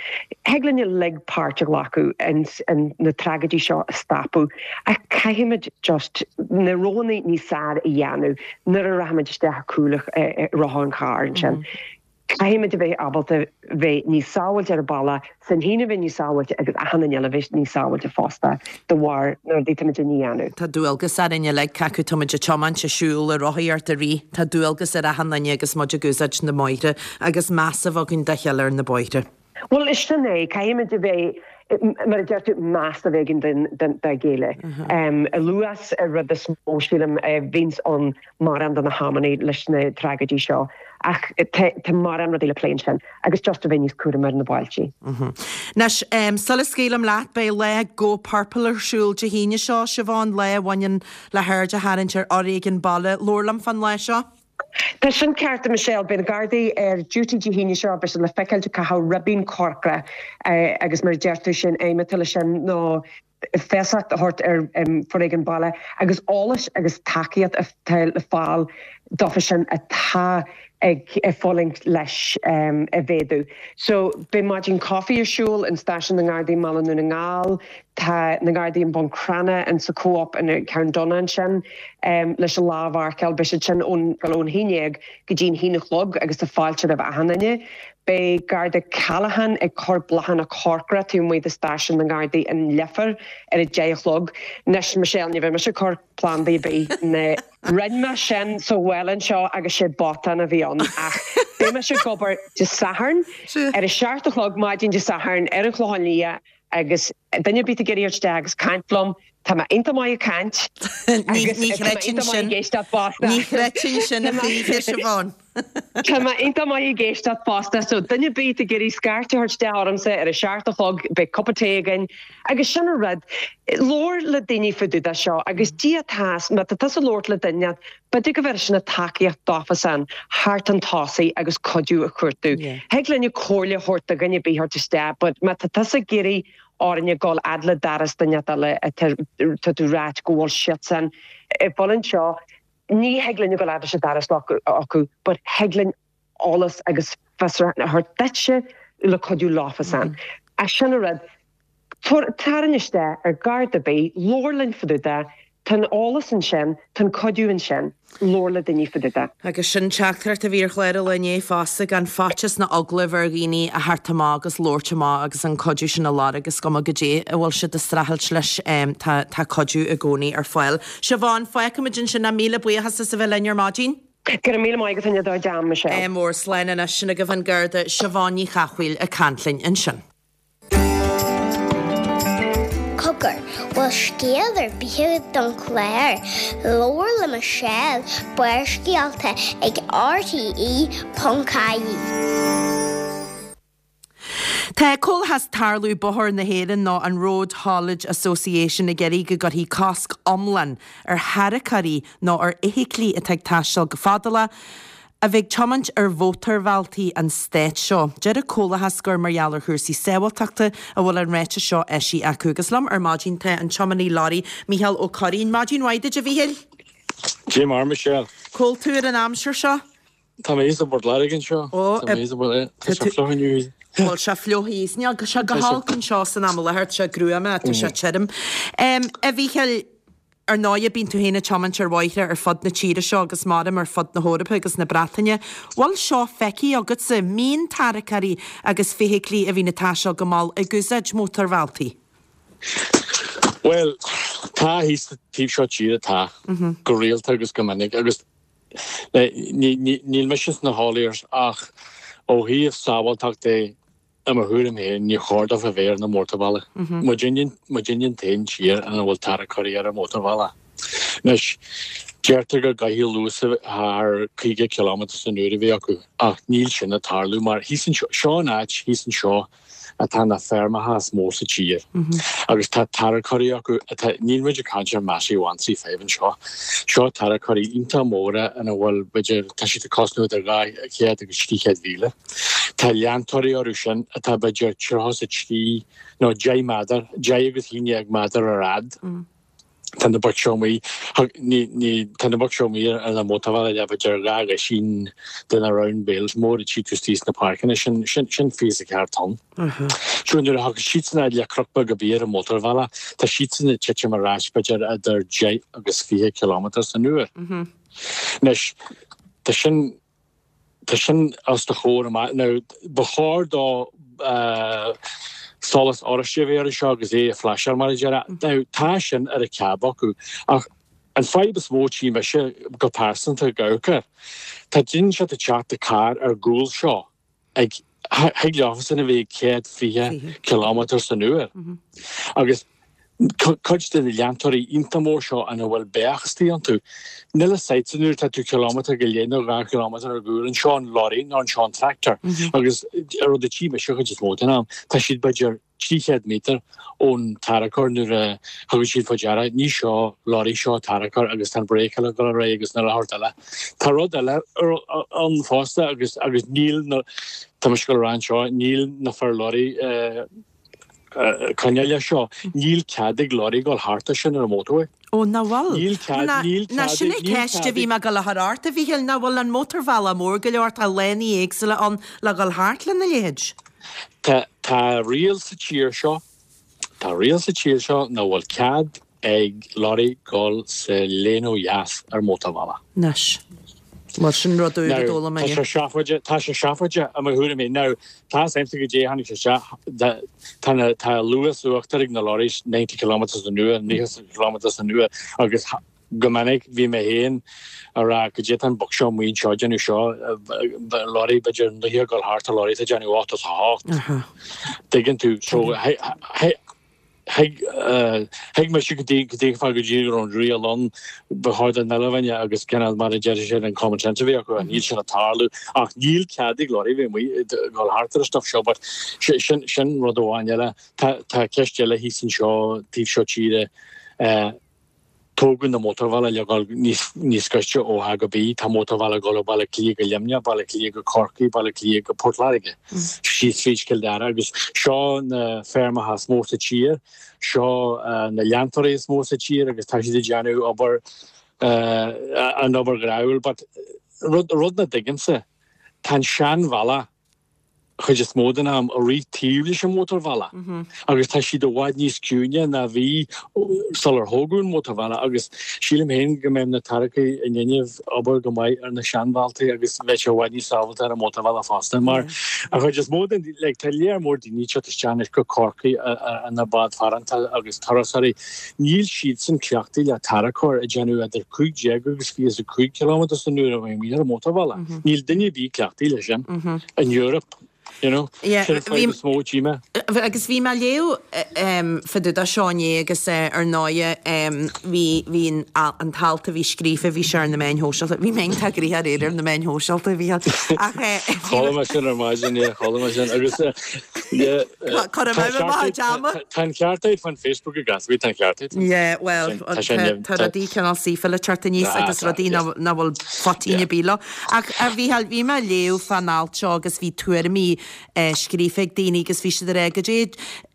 Thig linn uilig páirt a ghlacadh ins na tragóidí seo a stopadh ach caithfimid just na roghanna níos fearr a dhéanamh nuair a rachaimid isteach ar chúl rotha an chairr ansin. Caithfimid a bheith ábalta bheith níos sábháilte ar an bealach, sinn féin a bheith níos sábháilte agus achan duine eile a bheith níos sábháilte fosta de bharr na rudaí táimid a dhéanamh. Tá dualgas orainn uilig, cé acu táimid ag tiomáint, ag siúl, ag rothaíocht, ag rith, tá dualgas ar achan duine agus muid ag úsáid na mbóithre agus meas a bheith againn dá chéile ar na bóithre. Bhuel, is sin é, caithfimid a bheith, mar a deir tú, meas a bheith againn dá chéile. An luas an rud is mó, sílim, a bhíonns ann mórán de na hamannaí leis na tragóidí seo. Ach tá mórán rudaí le plé ansin agus just a bheith níos cúramaí ar na bailte. Anois, sula scaoilim leat, beidh lá Go Purple ar siúl Dé hAoine seo, Siobhán, lá a bhaineann le haird a tharraingt ar fhoréigean baile. Labhair liom fán lá seo. Tá sin ceart, a Michelle. Beidh na Gardaí ar duty Dé hAoine seo, beidh siad le feiceáil ag caitheamh ribín corcra agus mar a deir tú sin aidhm atá leis sin ná feasacht a thabhairt ar foréigean baile agus eolas agus tacaíocht atá le fáil dófa sin atá ag fulaingt leis a mhéadú. So beidh maidin coffee ar siúl in Stáisiún na nGardaí i mBaile Dhún na nGall. Tá na Gardaí i mBun Cranncha in sa Co-op in Carn Donncha ansin leis an lá a mharcáil. Beidh siad sin ón ón haon déag go dtí an haon a chlog agus tá fáilte roimh achan duine. Beidh Garda Callaghan ag cur bláthanna corcra taobh amuigh de Stáisiún na nGardaí in Leifear ar a deich a chlog. Anois Michelle, ní bheidh mise ag cur plandaí ar bith na Rinne mé sin sa bhaile anseo agus sé botún a bhí ann ach beidh mise ag obair Dé Sathairn ar a seacht a chlog maidin Dé Sathairn ar an Chlochán Liath agus duine ar bith ag iarraidh isteach agus caint liom, tá mé iontach maith ag caint agus tá mé iontach maith ag éisteacht fosta. Ní chreidfinn sin a choíche, Siobhán. Tá mé iontach maith ag éisteacht fosta, so duine ar bith ag iarraidh scairt a thabhairt isteach ormsa ar a seacht a chlog, beidh cupa tae againn agus sin an rud. Labhair le daoine fá dtaobh de seo agus Dia tá, má tá tusa ag labhairt le duine, b'fhéidir go bhféadfadh sin tacaíocht dófasan thart chun tosaigh agus cuidiú a chuartú. Thig linne comhairle a thabhairt do dhuine ar bith thabhairt isteach but má tá tusa ag iarraidh orainne dul fhad le doras duine eile atá tá tú ráit go bhfuil siadsan ag fulaingt seo, ní thig linn a dhul fhad leis an doras acu but thig linn eolas agus fiosrúchán a thabhairt duitse le cuidiú leofasan. Ach sin an rud, tarraing isteach ar Gharda ar bith, labhair linn fá dtaobh de, tá an eolas ansin, tá an cuidiú ansin, labhair le daoine fá dtaobh de. Agus sin teachtaireacht a bhí ar chlár an lae inné fosta, gan faitíos ná eagla a bheith ar dhaoine a theacht amach agus labhairt amach agus an cuidiú sin a lorg, is cuma goidé a bhfuil siad ag streachailt leis, tá tá cuidiú i gcónaí ar fáil. Siobhán, fágfaimid ansin é, míle buíochas as a bheith linn ar maidin. Go raibh míle maith agat as do d'am, Michelle. Ádh mór, slán anois, sin agaibh an Garda Siobhán Ní Chathmhaoil ag caint linn ansin. Cogar, bhfuil scéal ar bith agat don chlár? Labhair le Michelle, Barrscéalta ag RTE ponc ie. Tá Comhlachas Tarlú Bóthair na hÉireann nó an Road Haulage Association ag iarraidh go gcuirfí cosc iomlán ar tharracóirí nó ar fheithiclí atá ag taisteal go fadálach a bheith ag tiomáint ar mhótarbhealtaí an stáit seo. Deir an Comhlachas gur mar gheall ar chúrsaí sábháilteachta a bhfuil an ráiteas seo eisithe acu. Agus liom ar maidin tá an tiománaí leoraí Mícheál Ó Curraoin. Maidin mhaith duit a Mhíchíl. Dé mar Michelle. Cá bhfuil tú ar an aimsir seo? Tá mé i bPort Láirge anseo. Ó, Tá mé i bPort Tá sé fliuch inniu. Bhfuil sé fliuch thíos? Níl sé go holc anseo san am i láthair, tá sé gruama, tá sé tirim. A Mhíchíl, ar ndóighe bíonn tú féin ag tiomáint ar bhóithre ar fud na tíre seo agus maram ar fud na hEorpa agus na Breataine. Bhfuil seo feicthe agatsa, mbíonn tarracóirí agus feithiclí a bhíonn ag taisteal go mall ag úsáid mótarbhealtaí? Bhuel, tá thíos sa taobh seo tíre, tá, go rialta agus go minic agus níl mise sna hauliers ach ó thaobh sábháilteacht de, i mo thuairim féin, ní chóir dófa bheith ar na mótarbhealaí. Muidinne muidinne an t-aon tír ina bhfuil tarracóirí ar an mótarbhealach. Anois, deirtear go gcaithfidh luas thar caoga cileámetar san uair a bheith acu ach níl sin ag tarlú mar thíos anseo, seo an áit thíos anseo atá na feirmeacha is mó sa tír agus tá tarracóirí acu atá, níl muid ag caint ar Massey one three five anseo, seo tarracóirí iontach móra ina bhfuil b'fhéidir, tá siad ag cosnú idir dhá chéad agus trí chéad mhíle. Tá leantóirí orthu sin atá b'fhéidir tríocha is a trí nó deich méadar, deich agus a haon déag méadar ar fhad. Tá na boic seo amuigh, ní, ní, tá na boic seo amuigh ar na mótarbhealaí le b'fhéidir dhá dhosaen de na round bales mór a tchí tú istigh sna páirceanna, sin, sin, sin fiche is a ceathair tonn. So nuair a thagann siadsan fhad le cnoc beag ar bith ar an mótarbhealach, tá siadsan ag titim ar ais b'fhéidir idir deich agus fiche kilometre san uair. Anois, tá sin, Tá sin os do chomhair amach. Now, ba chóir dó solas oráiste a bheith air seo agus é ag flasháil, mar a déarfá. Now, tá sin ar an cab acu, ach an fadhb is mó a tchí mise go pearsanta ag amharc air, tá daoine ag teacht i carr ar gcúl seo ag, thig leofasan a bheith ag céad fiche kilometre san uair. Agus cuid de na leantóirí iontach mór seo ina bhfuil beach istigh iontu, níl a fhios agat nuair atá tú kilometre go leith nó dhá kilometre ar gcúl anseo an lorry nó anseo an tractor agus an rud a tchí mise chuid is mó den am, tá siad b'fhéidir trí chéad méadar ón tarracóir nuair a thugann siad faoi deara, ní seo lorry seo tarracóir agus tá an bhréiceáil ag dul ar aghaidh agus na rud eile. Tá rud eile ann fosta agus agus níl na, tá mise ag dul a rá anseo, níl na fir lorry coinneáil leis seo. Níl cead ag lorry dul thart as sin ar an motorway. Ó, nach bhfuil? Níl cead, níl Ná cead sin ag, an níl ceist a cead bhí ag. mé ag dul a chur ort, a Mhíchíl, nach bhfuil an mótarbhealach mór go leor, tá lánaí éagsúla ann le dhul thart lena leithéid? Tá, tá riail sa tír seo, tá riail sa tír seo nach bhfuil cead ag lorry dul sa lane ó dheas ar mótarbhealach. Anois. Bhuel, sin rud úr a Now, d'fhoghlaim tá mé. sé seafóideach, tá sé seafóideach i mo thuairim féin. Now, tá a fhios agamsa goidé a tháinig sé isteach, tá na, tá luas uachtair ag na lorries, ninety kilometres an uair, naocha kilometres an uair, agus go minic bhí mé féin a rá goidé tá an boc seo amuigh anseo ag déanamh seo, lorry b'fhéidir naocha ag dul thart ar lorry atá ag déanamh ochtó is a hocht. Tuigeann tú, so, Thuig thuig mise go dtí go dtuigfeá go dtí go raibh an riail ann, ba chóir don uile dhuine agus cineál mar a deir siad an common sense a bheith acu ach níl sin ag tarlú ach níl cead ag lorry bheith amuigh ag dul thart ar an stuff seo but sin sin rud amháin eile. Tá tá ceist eile thíos anseo taobh seo tíre eh, Tógadh na mótarbhealaí le dhul níos gaiste ó A go B. Tá mótarbhealach ag dul ó Baile Átha Cliath go Luimneach, Baile Átha Cliath go Corcaigh, Baile Átha Cliath go Port Láirge, síos tríd Cill Dara agus seo na feirmeacha is mó sa tír, seo na leantóirí is mó sa tír agus tá siad ag déanamh obair, an obair ghráúil. But rud nach dtuigimse, tá an seanbhealach, chuid is mó den am ag rith taobh leis an mótarbhealach agus tá siad i bhfad níos ciúine ná bhí sular thógadh an mótarbhealach agus sílim féin go mbeadh na tarracóirí in innimh obair go maith ar na seanbhealtaí agus bheadh sé i bhfad níos sábháilte ar an mótarbhealach fosta mar an chuid is mó den like tá léar mór daoine ag teacht isteach anois go Corcaigh ina bád farantacha agus turasóirí níl siadsan cleachtaithe le tarracóir ag déanamh idir cúig déag agus fiche is a cúig kilometre san uair a bheith amuigh ar an mótarbhealach. Níl duine ar bith cleachtaithe leis sin in Europe. You know, Yeah, sin an bhí- fadhb is mó a tchí mé. Agus bhí mé ag léamh fá dtaobh de seo inné agus ar ndóighe bhí bhí an an t-alt a bhí scríofa, bhí sé ar na meáin shóisialta, bhí mé iontach gnoitheach aréir ar na meáin shóisialta, bhí ach Chuala mé sin ar maidin, yeah, chuala mé sin agus yeah, Cuir tá amach ceart amach ama. tá an ceart agat fan Facebook agus bhí tá an ceart agat. Yeah, well, Sin- tá sé neamh- tá rudaí cineál saofa le teacht aníos Ah, agus tá, rudaí yes. nach nach bhfuil faitín Yeah. ar bith leo. Ach a Mhícheáil, bhí mé ag léamh fán alt seo agus bhí tuairimí scríofa ag daoine agus bhí siad ag rá goidé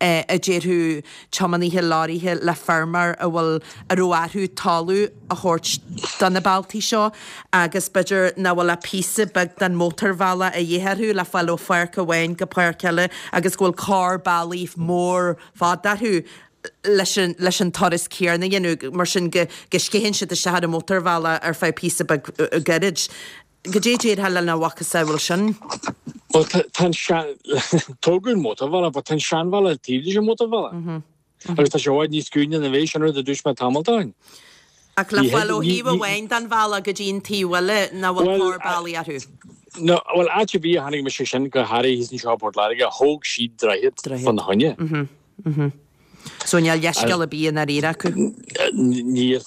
a déarfadh tiománaithe leoraithe le feirmeoir a bhfuil a raibh orthu talamh a thabhairt do na bealtaí seo agus b'fhéidir nach bhfuil ach píosa beag den mótarbhealach a dhíth orthu le fáil ó pháirc amháin go páirc eile agus go bhfuil cor bealaigh mór fada orthu leis an leis an turas céanna a dhéanamh, mar sin go go sceitheann siad isteach ar an mótarbhealach ar feadh píosa beag gairid. Goidé a déarfá lena mhacasamhail sin? Bhuel, tá an sean, tógadh an mótarbhealach, but tá an seanbhealach taobh leis an mótarbhealach. Agus tá sé i bhfad níos scuaine ná bhí, sin rud a dúirt mé tamall ó shin. Ach le fáil ó thaobh amháin den bhealach go dtí an taobh eile nach bhfuil cor bealaigh orthu. No, bhuel, áit ar bith a chonaic mise sin, go háirithe thíos anseo i bPort Láirge, thóg siad droichead fána choinne. So níl leithscéal ar bith i ndáiríre acu? Níl.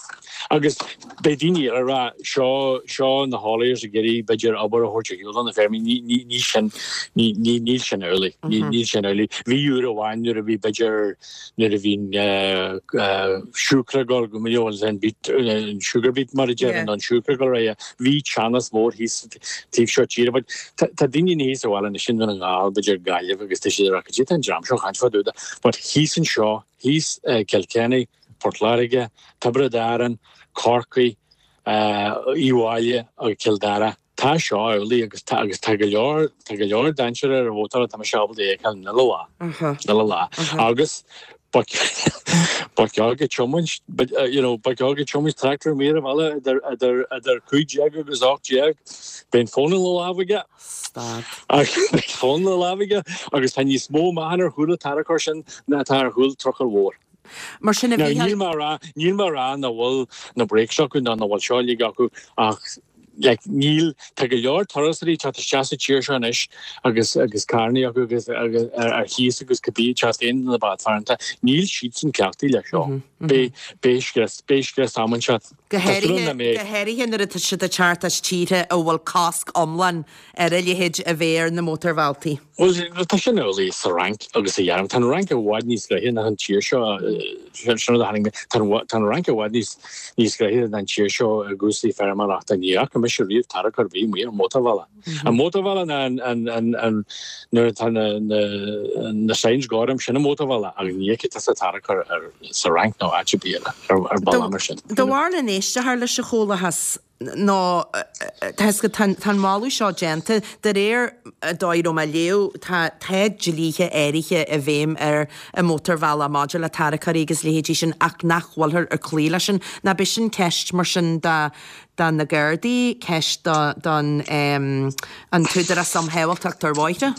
Agus beidh daoine eile ag rá, seo, seo na hauliers ag iarraidh b'fhéidir obair a thabhairt ar shiúl do na feirmeoirí. Ní, ní, ní sin, ní, ní, níl sin amhlaidh. Ní, níl sin amhlaidh. Bhí uair amháin nuair a bhí b'fhéidir, nuair a bhí siúcra ag dul go, you know, an beet, an sugar beet mar a deireann, an siúcra ag dul ar aghaidh, bhí teannas mór thíos taobh seo tíre. But tá, tá daoine thíos sa bhaile anois i nDún na nGall, b'fhéidir Gaillimh agus tá siad ag rá, cad é tá an dream seo ag caint fá dtaobh de? But thíos anseo, thíos i Kilkenny, Port Láirge, Tiobraid Árann, Corcaigh, Uíbh Fhailí agus Cill Dara. Tá seo amhlaidh agus tá agus tá go leor tá go leor dainséar ar an mhótarbhealach tá mise ábalta a fheiceáil an uile lá. An uile lá. Agus ba ba cheart go tiomáint you know ba cheart go tiomáint tractor amuigh ar an bhealach idir idir idir cúig déag agus ocht déag. Beidh an fón ina lámh aige. Stad. Beidh fón ina lámh aige agus tá níos mó meáchan ar chúl an tarracóir sin ná atá ar chúl trucail mhór. Mar sin a Now, Mhícheáil. níl mé a rá, níl mé a rá nach bhfuil na brakes acu ná nach bhfuil seo uilig acu ach like, níl, tá go leor turasóirí ag teacht isteach sa tír seo anois agus agus carrannaí acu agus agus ar ar chíos agus cibé ag teacht aon na bádfearanta, níl siadsan cleachtaithe leis seo. Beidh beidh scrios, beidh scrios am anseo. Go Tá súil háirithe, agam nach mbeidh. go háirithe nuair atá siad ag teacht as tíortha a bhfuil cosc iomlán ar a leithéid a bheith ar na mótarbhealtaí. Bhuel, tá sin amhlaidh sa Fhrainc agus sa Ghearmáin. Tá an Fhrainc i bhfad níos gnoithí ná an tír seo, sin rud a tháinig mé, tá an tá an Fhrainc i bhfad níos níos gnoithí ná an tír seo i gcúrsaí feirmeoireachta. Ní fhaca mise riamh tarracóir ar bith amuigh ar an mótarbhealach. An mótarbhealach ná an an an an nuair atá na na na signs gorm, sin an mótarbhealach ach ní fheicfidh tusa tarracóir ar sa Fhrainc nó áit ar bith eile ar ar bealach mar sin. Do bharúil an éisteoir leis an Chomhlathas nó tá tá an moladh seo déanta de réir an dóigh a raibh mé ag léamh tá tá dlíthe áirithe i bhfeidhm ar an mótarbhealach maidir le tarracóirí agus leithéidí sin ach nach bhfuilthear ag cloí leis sin. Ná b'é sin ceist mar sin do do na Gardaí, ceist do don an tÚdarás um Shábháilteacht ar Bhóithre?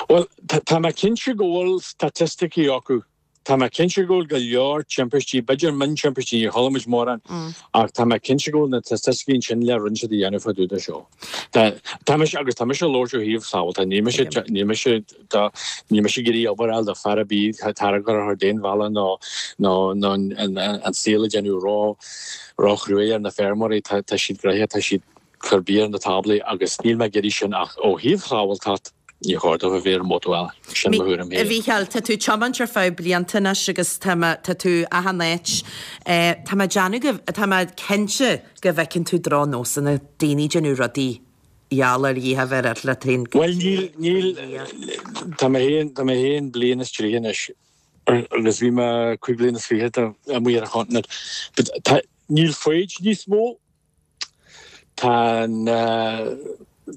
Bhuel, tá mé cinnte go bhfuil staitisticí acu. Tá mé cinnte go bhfuil go leor timpistí, b'fhéidir miontimpistí, níor chuala muid mórán, ach tá mé cinnte go bhfuil na staitisticí ansin le rinne siad a dhéanamh fá dtaobh de seo. Tá, tá mise, agus tá mise ag labhairt ó thaobh sábháilteachta, níl mise, níl mise, tá, níl mise ag iarraidh obair a fháil do fear ar bith tarracóir a chur d'aon bhealach nó, nó, nó an, an, an saol a dhéanamh ró, ró-chruaidh ar na feirmeoirí, tá, tá siad gnoitheach, tá siad ag cur bia ar na táblaí agus níl mé ag iarraidh sin ach ó thaobh sábháilteacht, Ní chóir dóibh a bheith ar an mótarbhealach. Sin mo thuairim A féin. Mhícheáil, tá tú ag tiomáint ar feadh blianta anois agus tá mé, tá tú achan áit. Tá mé ag déanamh go, tá mé cinnte go bhfeiceann tú drochnósanna, daoine ag déanamh rudaí gheall ar Dhia a bheith ar le traein go Bhuel níl, níl, tá mé féin, tá mé féin bliain is tríocha anois agus bhí mé cúig bliana is fiche amuigh ar an chontinent. But tá, níl foighid níos mó. Tá an,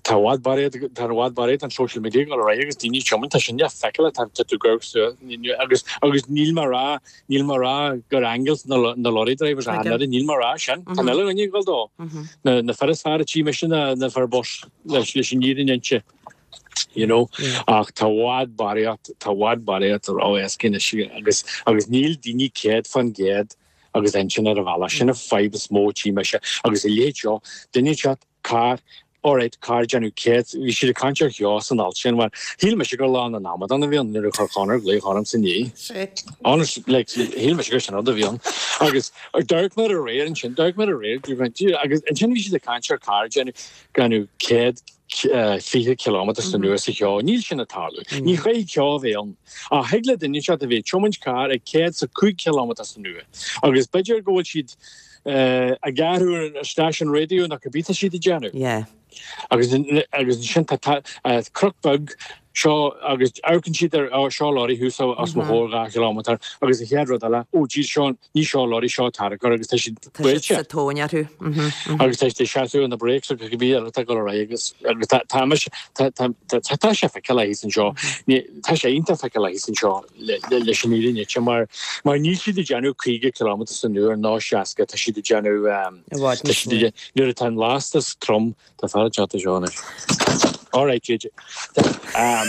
tá i bhfad barraíocht, tá i bhfad barraíocht an social media ag dul ar aghaidh agus daoine ag tiomáint, tá sin le feiceáil, tá tá tú ag amharc suas agus agus níl mé ag rá, níl mé ag rá gur angels na na lorry drivers ach an oiread, níl mé ag rá sin, tá an uile dhuine ag dul dó. Na na fir is fearr a tchí mise na na fir bus leis leis an fhírinne inste, you know, ach tá i bhfad barraíocht, tá i bhfad barraíocht ró-éasca anois agus agus níl daoine céad fán gcéad agus intinn ar an bhealach. Sin an fadhb is mó a tchí mise agus a leithéid seo, duine ag teacht, carr, alright, carr ag déanamh céad, bhí siad ag caint ar cheo san alt sin, bhuel, shíl mise gur Lá na nAmadán a bhí ann nuair a chuir Conor glaoch ormsa inné. Honest, like, shíl mise gur sin rud a bhí ann. Agus d'amharc mé aréir ansin, d'amharc mé aréir, agus ansin bhí siad ag caint ar carr ag déanamh, déanamh céad fiche cileámetar san uair sa cheo. Níl sin ag tarlú. Ní chaithfidh ceo a bheith ann. Ach thig le duine inteacht a bheith ag tiomáint carr ag céad is a cúig cileámetar san uair agus b'fhéidir go bhfuil siad ag athrú an stáisiún raidió nó cibé tá siad ag déanamh. Agus agus ansin tá cnoc beag seo agus amharcann siad ar ó seo lorry thuas os mo chomhair dhá chileámeter agus an chéad rud eile ó jeez seo ní seo lorry seo tarracóir agus tá siad Tá siad sa tóin orthu. Agus tá siad ag seasamh ar na brakes agus cibé eile atá ag dul ar aghaidh agus agus tá tá mise tá tá tá tá sé feiceálach thíos anseo. Ní tá sé iontach feiceálach thíos anseo le le leis an fhírinne inse mar mar níl siad ag déanamh caoga cileámeter san uair ná seasca tá siad ag déanamh I bhfad tá níos siad mó. nuair atá an lastas trom tá fear ag teacht anseo anois. All right, JJ. Um,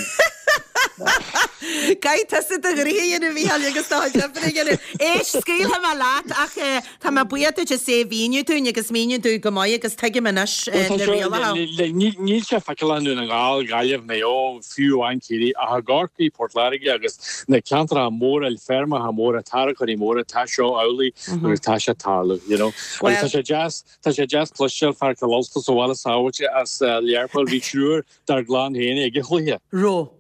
Caithfidh tusa do ghnoithe a dhéanamh a Mhícheáil agus do chuid oibre a dhéanamh. Éist, scaoilfidh mé leat ach eh, tá mé buíoch duit as é a mhíniú dúinn agus míniú dúinn go maith agus tuigim anois eh, Well, tá na seo- rialacha. le- le- Níl níl sé feiceálach i nDún na nGall, Gaillimh, Maigh Eo, fiú amháin Ciarraí, ach i gCorcaigh, Port Láirge agus na ceantracha móra, feirmeacha móra, tarracóirí móra, tá seo amhlaidh agus tá sé ag tarlú, you know. Well- Agus tá sé deas, tá sé deas cloisteáil fear Cill Ulta sa bhaile sábháilte as eh, Learpholl, bhí triúr dár gclann féin ag an chluiche. Ro.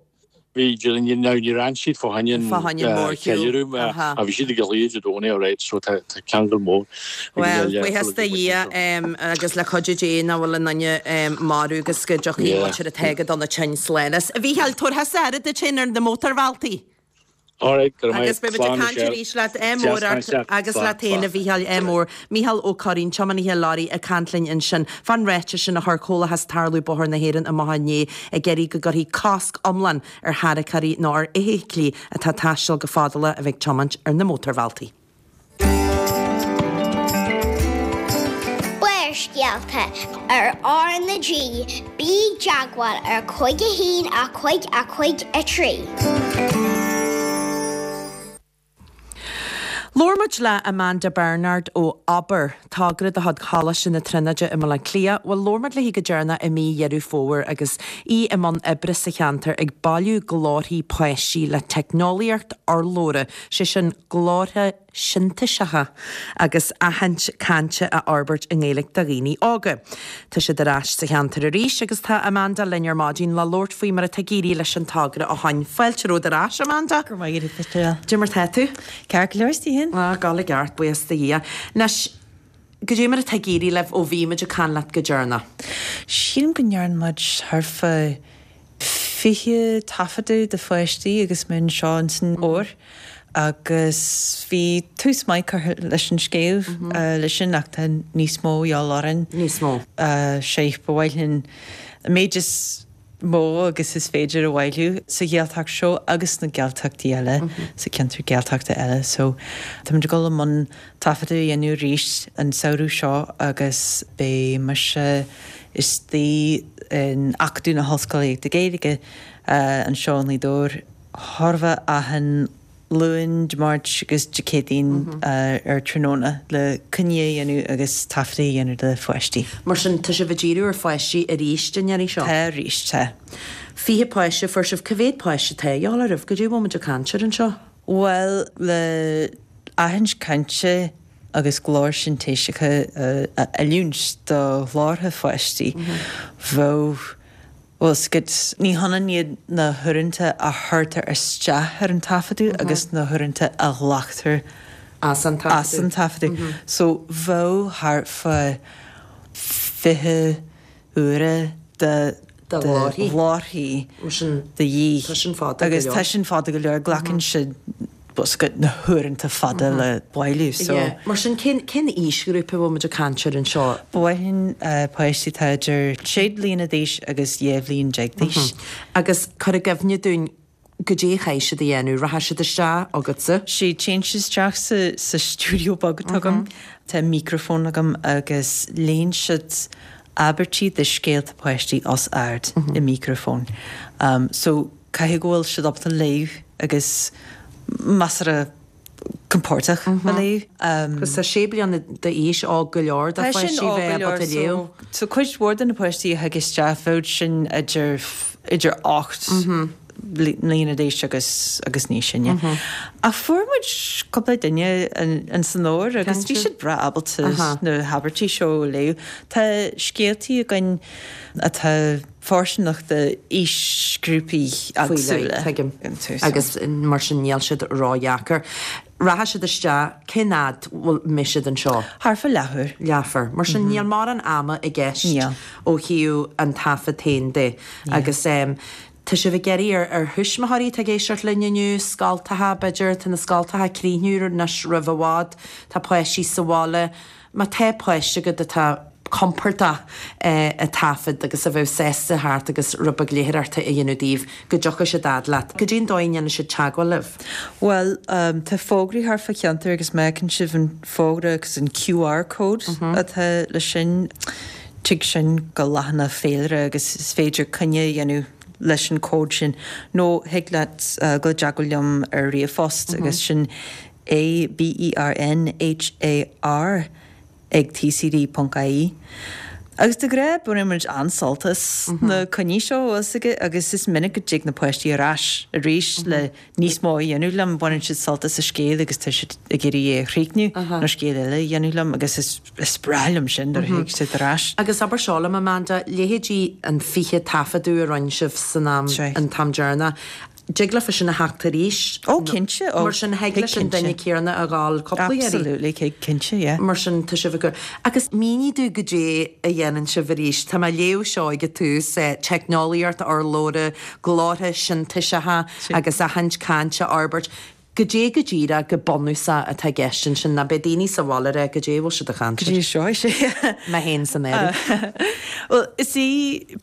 Bhí Gillian now ní ran siad fá choinne Fá choinne mórshiúl. ceiliúradh Aha. a bhí siad ag an Dé Domhnaigh alright so tá tá ceangal mór ag Well, Learpholl buíochas agus do Dhia muintir. um, agus le cuidiú Dé nach bhfuil aon duine um, marbh agus go dtiocfaidh Yeah. muintir atá ag dul na tinn slán. A Mhícheáil, tabhair thusa aire duit féin ar na mótarbhealtaí. Alright, go raibh Agus maith. beidh muid ag Slán, caint Michelle. arís leat ádh Deas mór caint ort leat. agus Slán, leat féin a slán. Mhícheáil ádh mór. Mícheál Ó Curraoin, tiománaithe leoraí ag caint linn ansin. Fán ráiteas sin a chuir Comhlachas Tarlú Bóthar na hÉireann amach inné ag iarraidh go gcuirfí cosc iomlán ar tharracóirí nó ar fheithiclí atá ag taisteal go fadalach a bheith ag tiomáint ar na mótarbhealtaí. Barrscéalta ar R na G, bí i dteagmháil ar cúig a haon a cúig a cúig a trí. Labhair muid le Amanda Bernard ó Abair, togra de chuid Choláiste na Tríonóide i mBaile Átha Cliath, bhuel labhair muid léi go deireanach i mí Dheireadh Fómhair agus í i mbun oibre sa cheantar ag bailiú glórthaí páistí le teicneolaíocht urlabhra, sé sin glórtha sintéiseacha agus aithint cainte a fhorbairt i nGaeilge do dhaoine óga. Tá siad ar ais sa cheantar arís agus tá Amanda linn ar maidin le labhairt faoi mar atá ag éirí leis an togra ó shin. Fáilte romhat ar ais, Amanda? Go maith go Cad é mar tá tú? Ceart go leor is tú féin? Ah, gal i gceart buíochas do Dhia. Anois, cad é mar atá ag éirí libh ó bhí muid ag caint leat go deireanach. Sílim go ndearna muid thart fá fiche taifeadadh de pháistí agus muid anseo san fhómhar agus bhí tús maith curtha leis an scéal leis sin ach tá níos mó de dhíobháil orainn. Níos mó. Sé ba mhaith linn an méid is mó agus is féidir a bhailiú sa Ghaeltacht seo agus na Gaeltachtaí eile sa ceantar Gaeltachta eile, so táimid ag dul i mbun taifeadadh a dhéanamh arís an samhradh seo agus beidh mise istigh in Acadamh na hOllscolaíochta Gaeilge anseo i nGaoth Dobhair thart fá achan Luan, Dé Máirt agus Dé Céadaoin ar tráthnóna le coinní a dhéanamh agus taifeadadh a dhéanamh de pháistí. Mar sin tá sibh ag díriú ar pháistí arís an iarraidh seo? Tá arís, tá. Fiche páiste fuair sibh cá mhéad páiste atá de dhíobháil oraibh cad é bhfuil muid ag caint air anseo? Bhuel le aithint cainte agus glór sintéiseacha a oiliúint do ghlórtha pháistí bheadh Well, ní hionann iad na huaireanta a chuirtear isteach ar an taifeadadh agus na huaireanta a ghlactar as an taifeadadh. As an taifeadadh. So bheadh thart fá fiche uaire de De ghlórthaí. ghlórthaí de dhíth. Tá sin fada go Agus leor. tá sin fada go leor glacann siad bosca na huaireanta fada le bailiú. So Yeah. Mar sin cén cén aoisghrúpa bhfuil muid ag caint air anseo? Ba mhaith linn páistí atá idir sé bliana d'aois agus dhá bhliain déag d'aois. Agus cuir i gcuimhne dúinn cad é a chaithfidh siad a dhéanamh, rachaidh siad isteach agatsa? Sé téann siad isteach sa, sa stiúideo beag atá agam. Tá micreafón agam agus léann siad abairtí de scéalta páistí os ard i micreafón. Um, so caithfidh go bhfuil siad ábalta léamh agus measartha compordach a léamh. Um, Agus tá sé bliana d'aois óg go leor do Tá sin pháistí óg bheith go leor, ábalta léamh. So, so cuid mhór de na páistí a thig isteach bheadh sin idir idir ocht bliana d'aois agus agus níos sine. Ach fuair muid cúpla duine an san fhómhar agus bhí siad breá ábalta na habairtí seo a léamh. Tá scéaltaí againn atá fóirsteanach d'aoisghrúpaí éagsúla. Tuigim. Agus mar sin níl siad ródheacair. Rachaidh siad isteach, cén fhad bhfuil mbeidh siad anseo? Thart fá leathuair. Leathuair. Mar sin níl mórán ama i gceist ó thaobh an taifead féin de. Agus tá sibh ag iarraidh ar ar thuismitheoirí atá ag éisteacht linn inniu, scoltacha b'fhéidir, tá na scoltacha ag críochnú anois roimh i bhfad, tá páistí sa bhaile, má tá páiste agat atá compordach ag taifead agus a bheadh sásta theacht agus rud beag léitheoireachta a dhéanamh daoibh, go dtiocfaidh siad fhad leat. Cad é an dóigh a ndéanann siad teagmháil libh? Bhuel, tá fógraí thart fá cheantar agus má fheiceann sibh an fógra agus an QR code atá leis sin, tig sin go leathanach féilire agus is féidir coinne a dhéanamh leis an cód sin nó thig leat dul i dteagmháil liom ar ríomhphost agus sin A B E R N H A R ag tcd ponc ie. Agus de ghnáth baineann muid an-sult as na coinní seo, bhfuil fhios agat, agus is minic go dtig na páistí ar ais arís le níos mó a dhéanamh liom, baineann siad sult as an scéal agus tá siad ag iarraidh é a chríochnú nó scéal eile a dhéanamh liom agus is is breá liom sin nuair a thig siad ar ais. Agus abair seo liom, Amanda, leithéidí an fiche taifeadadh a rinne sibh san am, an t-am deireanach, Dtig leofa sin a theacht arís. Ó, cinnte, ó, Mar sin, thig leis an duine céanna a ghabháil cúpla iarraidh. Absolutely, cinnte, yeah. Mar sin, tá sibh ag cur. Agus mínigh domh goidé a dhéanann sibh arís. Tá mé ag léamh seo ag an tús, teicneolaíocht urlabhra, glórtha sintéiseacha agus aithint cainte a fhorbairt. Goidé go díreach, go bunúsach atá i gceist ansin? Ná beidh daoine sa bhaile ag rá goidé a bhfuil siad ag caint air. Goidé seo, is ea. Mé féin san áireamh. Bhuel, is í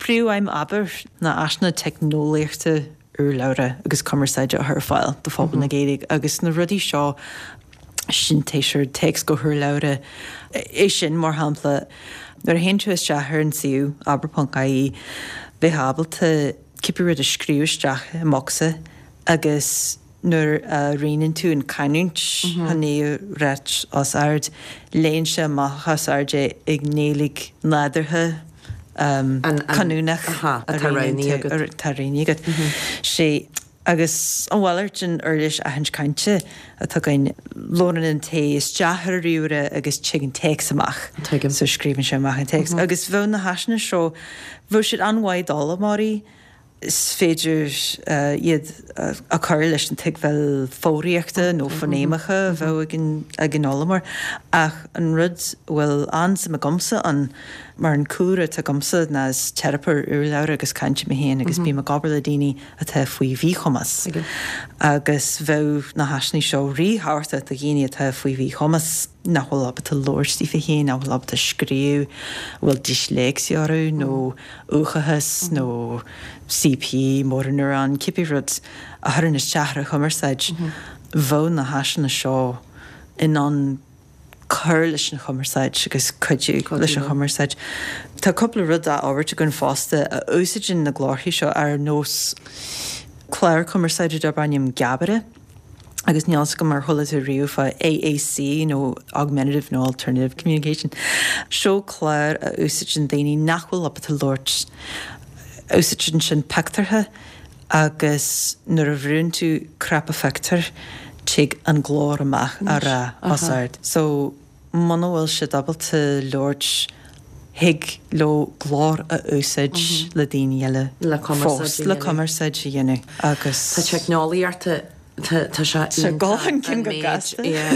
príomhaidhm Abair ná áiseanna teicneolaíochta urlabhra agus cumarsáide a chur ar fáil do phobal na Gaeilge agus na rudaí seo, sintéiseoir téacs go hurlabhra, é sin mar shampla, nuair a théann tú isteach ar an suíomh abair ponc ie, bheifeá ábalta cibé rud a scríobh isteach i mbocsa agus nuair a roghnaíonn tú an canúint chun é a ráit os ard, léann sé amach os ard é i nGaeilge nádúrtha, canúnach atá roghnaithe agat. Atá roghnaithe agat. Sea. Agus an mhalairt den uirlis aithint cainte atá againn, labhrann an té isteach ar an ríomhaire agus tig an téacs amach. Tuigim. So scríobhann sé amach an téacs. Agus bheadh na háiseanna seo, bheadh siad an-mhaith d'fhoghlaimeoirí. Is féidir iad a chur leis an tuigbheáil foghraíochta nó fóinéimeacha a bheadh ag an ag an fhoghlaimeoir. Ach an rud a bhfuil an-suim agamsa ann, mar an cúlra atá agamsa ná is teiripeoir urlabhra agus cainte mé féin agus bím ag obair le daoine atá faoi mhíchumas. Agus bheadh na háiseanna seo ríthábhachtach do dhaoine atá faoi mhíchumas nach bhfuil ábalta labhairt daofa féin, nach bhfuil ábalta scríobh, a bhfuil disléicse orthu nó uathachas nó CP, motor neuron, cibé rud a chuireann isteach ar a chumarsáid, bheadh na háiseanna seo in ann cur leis an chumarsáid agus cuidiú leis an chumarsáid. Tá cúpla rud á fhorbairt againn fosta a úsáideann na glórthaí seo ar nós clár cumarsáide darb ainm Geabaire. Agus níl fhios agam ar chuala tú riamh fá AAC nó Augmentative nó Alternative Communication. Seo clár a úsáideann daoine nach bhfuil ábalta labhairt. Úsáideann sin pictiúrtha agus nuair a bhrúnn tú cnaipe phictiúir tig an glór amach á rá os ard. So muna bhfuil siad ábalta labhairt thig leo glór a úsáid le daoine eile fós le cumarsáid a dhéanamh agus. Tá teicneolaíocht tá sé iontach an méid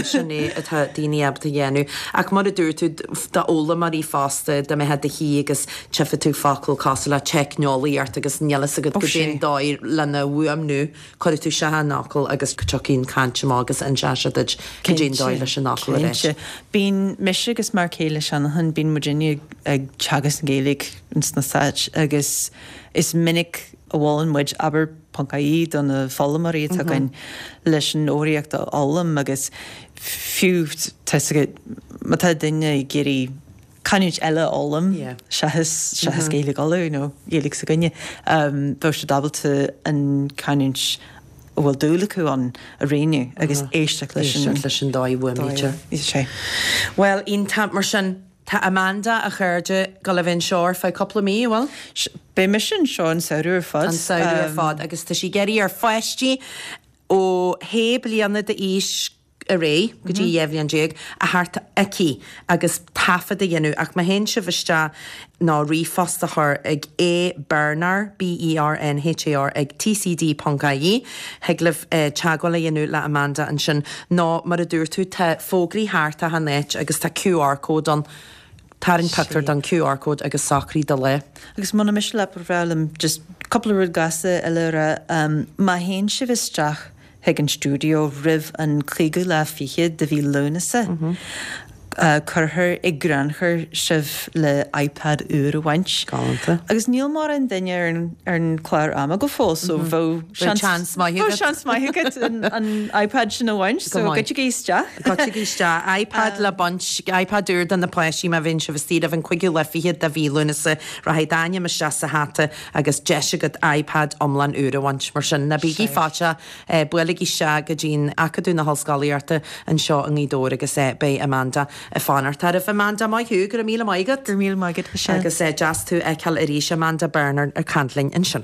sin é atá daoine ábalta a dhéanamh. Ach mar a dúirt tú, d'fhoghlaimeoirí fosta, dá mbeifeá i do shuí agus tchífeadh tú focal cosúil le teicneolaíocht agus níl fhios agat goidé an dóigh lena fhuaimniú, cuirfidh tú isteach an fhocal agus tiocfaidh an chaint amach agus inseoidh sé duit goidé an dóigh leis an fhocal a rá. Cinnte. Bíonn mise agus m'fhear céile Seanachán, bíonn muidinne ag teagasc na Gaeilge ins na Stáit agus is minic a mholann muid abair ponc ie do na foghlaimeoirí atá againn leis an fhoghraíocht a fhoghlaim agus fiú tá fhios agat má tá duine ag iarraidh canúint eile a fhoghlaim seachas seachas Gaeilge Uladh nó Gaeilge s'againne bheadh siad ábalta an canúint a bhfuil dúil acu ann a roghnú agus éisteacht leis an éisteacht leis an dóigh a bhfuaimnítear. Sea. Bhuel, iontach mar sin. Tá Amanda, a chairde, ag dul a bheith anseo ar feadh cúpla mí, an bhfuil? Beidh mise anseo an samhradh ar fad. An samhradh ar fad agus tá sí ag iarraidh ar pháistí ó shé bliana d'aois ar aghaidh go dtí dhá bhliain déag a theacht aici agus taifead a dhéanamh ach má théann sibh isteach nó ríomhphost a chur ag A Bernhar, B E R N H A R, ag T C D ponc I E, thig libh teagmháil a dhéanamh le Amanda ansin nó mar a dúirt tú tá fógraí thart achan áit agus tá Q R code ann. Tarraing pictiúr don Q R code agus socraigh do lá. Agus muna miste leat ba bhreá liom just cúpla rud gasta eile a rá. Má théann sibh isteach chuig an stiúideo roimh an cúigiú lá fichead de mhí Lúnasa, cuirfear i gcrannchur sibh le iPad úr a bhaint. Galánta. Agus níl mórán duine ar an ar an chlár ama go fóill so bheadh seans maith agat. Bheadh seans maith agat an an iPad sin a bhaint so goitsigí isteach. Goitsigí isteach. iPad le baint, iPad úr do na páistí má bhíonn sibh istigh roimh an cúigiú lá fichead de mhí Lúnasa, rachaidh d'ainm isteach sa hata agus deis agat iPad iomlán úr a bhaint. Mar sin, ná bígí faitíoch, buailigí isteach go dtí'n Acadamh na hOllscolaíochta anseo i nGaoth Dobhair agus beidh Amanda ag fanacht oraibh. Amanda, maith thú, go raibh míle maith agat. Go raibh míle maith agat, Michelle. Agus deas tú a fheiceáil arís, Amanda Bernhar ag caint linn ansin.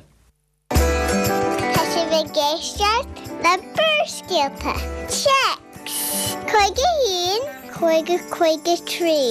Tá sibh ag éisteacht le Barrscéalta. Téacs cúig a haon cúig a cúig a trí.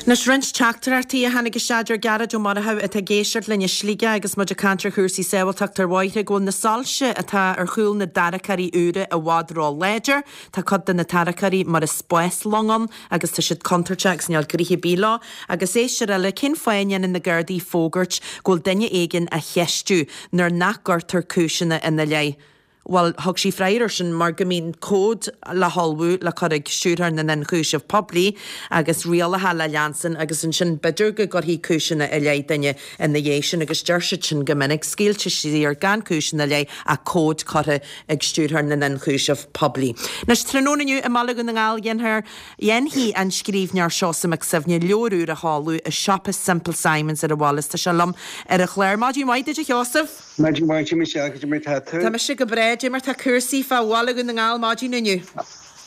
Anois roinnt teachtaireachtaí a tháinig isteach deir Gearóid Ó Murchú atá ag éisteacht linn i Sligeach agus muid ag caint ar chúrsaí sábháilteachta ar bhóithre go bhfuil na soilse atá ar chúl na dtarracóirí úra i bhfad ró-láidir. Tá cuid de na tarracóirí mar is spáslong ann agus tá siad contúirteach agus níl gnoithe ar bith leo. Agus éisteoir eile, cén fáth a ndéanann na Gardaí fógairt go bhfuil duine éigin á cheistiú nuair nach gcuirtear cúiseanna ina leith? Bhuel, thug sí freagra air sin mar go mbíonn comhad le hullmhú le cur ag Stiúrthóir na nIonchúiseamh Poiblí agus rialacha le leanstan agus ansin b'fhéidir go gcuirfí cúiseanna i leith duine ina dhiaidh sin agus deir siad sin go minic, scaoilte saor gan cúis ina leith ach comhad curtha ag Stiúrthóir na nIonchúiseamh Poiblí. Anois, tráthnóna inniu i mBaile Dhún na nGall dhéanfar, dhéanfaidh an scríbhneoir Seosamh Mac Suibhne leabhar úr a sheoladh i siopa Simple Simons ar an bhaile is tá sé liom ar an chlár. Maidin mhaith duit a Sheosaimh! Maidin mhaith a Michelle, cad é mar tá tú? Tá mise go breá, cad é mar tá cúrsaí fá Bhaile Dhún na nGall maidin inniu?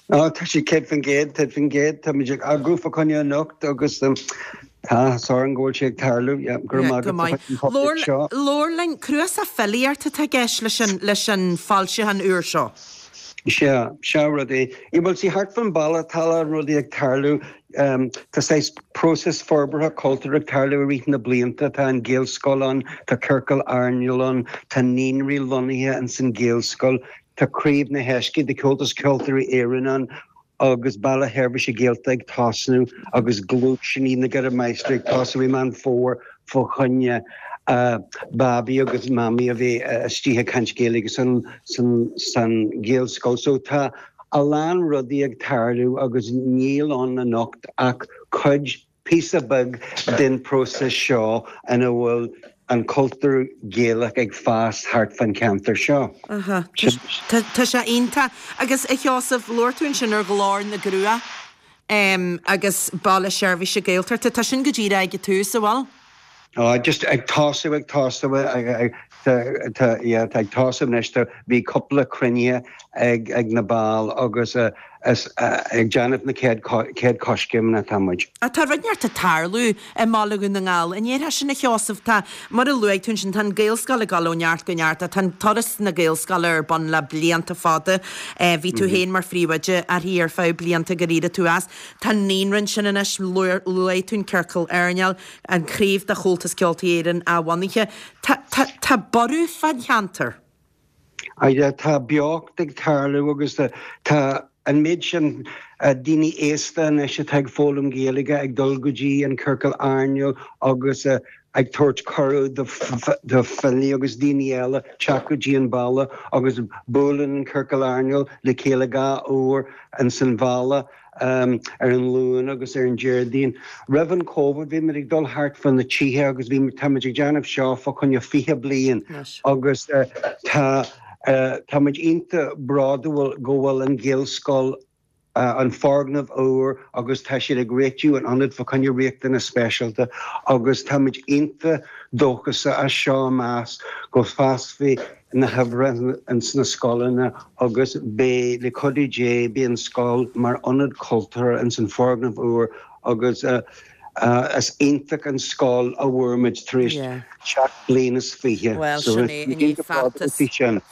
Ó, tá sé céad faoin gcéad, céad faoin gcéad, tá muid ag eagrú fá choinne anocht agus tá áthas orainn go bhfuil sé ag tarlú, yeah, go raibh maith Go agat maith. as an topic seo. Labhair linn, cnuasach filíochta atá i gceist leis an, leis an foilseachán úr seo. Sea, sea rud é. Yeah, bhuel, see, thart fán baile tá a lán rudaí ag tarlú. Tá saghas próiseas forbartha cultúir ag tarlú i rith na blianta. Tá an Ghaelscoil ann, tá ciorcal airneáil ann, tá naíonraí lonnaithe ins an Ghaelscoil, tá Craobh na hEiscí de Chomhaltas Ceoltóirí Éireann ann agus Baile Sheirbhíse Gaeltachta ag tosnú agus Gluaiseanna na gCeithre Máistrí ag tosú i Meán Fómhair fá choinne babaí agus mamaí a bheith istigh ag caint Gaeilge san san san Ghaelscoil. So tá a lán rudaí ag tarlú agus níl ann anocht ach cuid, píosa beag den próiseas seo ina bhfuil an cultúr Gaelach ag fás thart fán cheantar seo. Aha. Tá sé iontach. Agus a Sheosaimh, labhair tú ansin ar Ghlór na gCruach agus Baile Seirbhíse Gaeltachta. Tá sin go díreach ag an tús, an bhfuil? Oh, just ag tosú ag tosú tá yeah, tá ag tosú anois tá bhí cúpla cruinnithe ag ag na baill agus uh, is uh, ag déanamh na céad céad coiscéimeanna atá muid. A tá rud inteacht ag tarlú i mBaile Dhún na nGall. An ndéarfá sin a Sheosaimh tá mar a luaigh tú ansin tá an Gaelscoil ag dul ó neart go neart tá an turas na Gaelscoile ar bun le blianta fada. Eh, bhí tú féin mar phríomhoide uirthi ar feadh blianta gur éirigh tú as. Tá naíonra ansin anois luaigh tú an ciorcal airneáil, an chraobh de Chomhaltas Ceoltóirí Éireann athbhunaithe. Tá, tá, tá borradh fán cheantar. Tá tá beocht ag tarlú agus tá an méid sin daoine aosta anois atá ag foghlaim Gaeilge ag dul go dtí an ciorcal airneáil agus ag tabhairt cuireadh do filí agus daoine eile teacht go dtí an baile agus buaileann an ciorcal airneáil le chéile dhá uair in san bhaile um, ar an Luan agus ar an Déardaoin. Roimh an COVID bhí muid ag dul thart fá na tithe agus bhí táimid ag déanamh seo fá choinne fiche bliain agus uh, tá uh, tá muid iontach bródúil go bhfuil an Ghaelscoil uh, an foirgneamh úr agus tá siad ag réitiú an ionad fá choinne riachtanais speisialta agus táimid iontach dóchasach as seo amach go bhfásfaidh na huimhreacha ins na scoileanna agus beidh le cuidiú Dé beidh an scoil mar ionad cultúir ins an foirgneamh úr agus uh, Is iontach an scoil a bhfuair muid tar éis seacht bliain is fiche. Bhuel, sin é, i ndiaidh feachtas,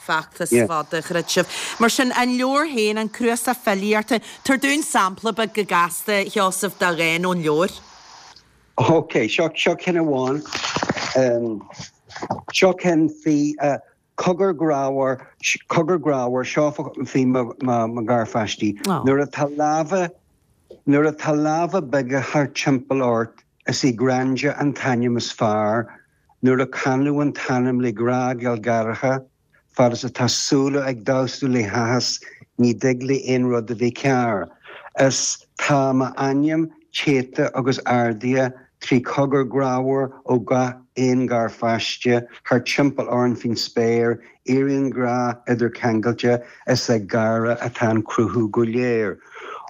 feachtas fada a throid sibh. Mar sin, an leabhar féin, an cnuasach filíochta, tabhair dúinn sampla beag go gasta, a Sheosaimh, de dhán ón leabhar. Ok, seo, seo ceann amháin. Seo ceann faoi cogar grámhar, cogar grámhar, seo faoi mo, mo, mo gharpháistí. Nuair atá lámha Nuair atá lámha beaga thart timpeall ort, is í Gráinne an t-ainm is fearr, nuair a canadh an t-ainm le grá gealgháireach, fad is atá súile ag damhsú le háthas, ní dtig le aon rud a bheith cearr. Is tá m'ainm téite agus ardaithe trí chogar grámhar ó gach aon gharpháiste thart timpeall orainn faoin spéir, éiríonn grá idircheangailte is ag gáire atá an cruthú go léir.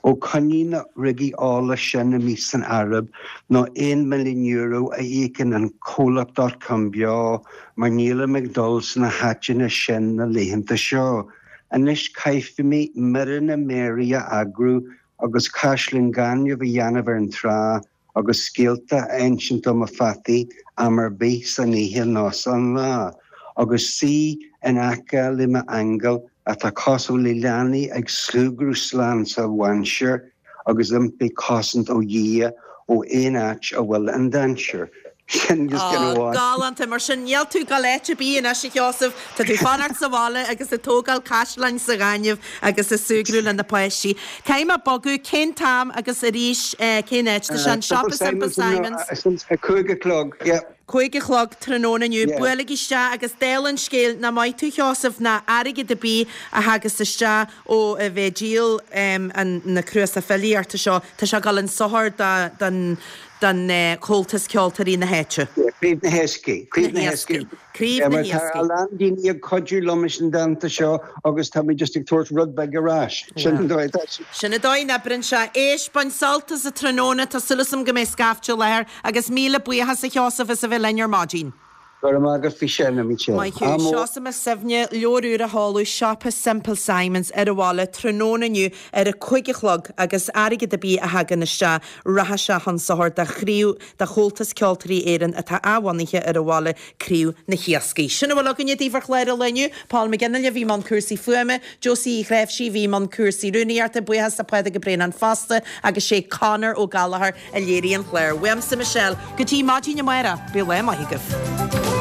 Ó coinnigh na ruigí ola sin amuigh san Araib nó aon milliún euro a íocann an comhlacht dot com beo mar nílim ag dul sna háiteanna sin na laethanta seo. Anois caithfidh mé mire na méaraí a eagrú agus caisleán gainimh a dhéanamh ar an trá agus scéalta a insint do mo pheataí am ar bith san oíche nó san lá, agus suí in aice le m'aingil atá cosúil le leanaí ag súgradh slán sa mhainséar agus impí cosaint ó Dhia ó aon áit a bhfuil an dainséar. Sin just ceann Á, amháin. galánta. Mar sin, níl tú ag dul áit ar bith anois, a Sheosaimh. Tá tú ag fanacht sa bhaile agus ag tógáil caisleáin sa ghaineamh agus ag súgradh le na páistí. Caithfidh mé bogadh, cén t-am agus arís cén áit? Tá sé an Simple siopa Simple Simons Simons. a cúig a chlog, yeah. Cúig a chlog tráthnóna inniu. Yeah. Buailigí isteach agus dála an scéil, nach maith tú Sheosamh, ná airgead ar bith a thagas isteach ó a bheith ag díol an na cnuasach filíochta seo, tá sé ag dul chun sochair do don don Chomhaltas Ceoltóirí na háite. Yeah, Craobh na hEascaí. Craobh na hEascaí. Craobh Yeah, na mar tá hEascaí. a lán daoine ag cuidiú liom leis an dánta seo agus tá mé just ag tabhairt rud beag ar ais. Sin an dóigh atá sé. Sin an dóigh a n-oibríonn sé. Éist, bain sult as an tráthnóna, tá súil agam go mbeidh scaifte i láthair agus míle buíochas a Sheosaimh as a bheith linn ar maidin. Go raibh maith agat faoi sin, a Michelle. Maith thú. Ádh mór. Seosamh Mac Suibhne, leabhar úr a sheoladh, Siopa Simple Simons ar an bhaile tráthnóna inniu ar a cúig a chlog agus airgead ar bith a thagann isteach rachaidh sé chun sochair do chraobh de Chomhaltas Ceoltóirí Éireann atá athbhunaithe ar an bhaile, Craobh na hIascaigh. Sin a bhfuil againne daoibh ar chlár an lae inniu. Paul McGinley a bhí i mbun cúrsaí fuaime, Josie Uí Chnáimhsí a bhí i mbun cúrsaí rúnaíochta, buíochas le Pádraig Ó Braonáin fosta agus sé Conor Ó Gallchóir a léirigh an clár. Uaimse Michelle, go dtí maidin amárach, bíodh lá maith agaibh.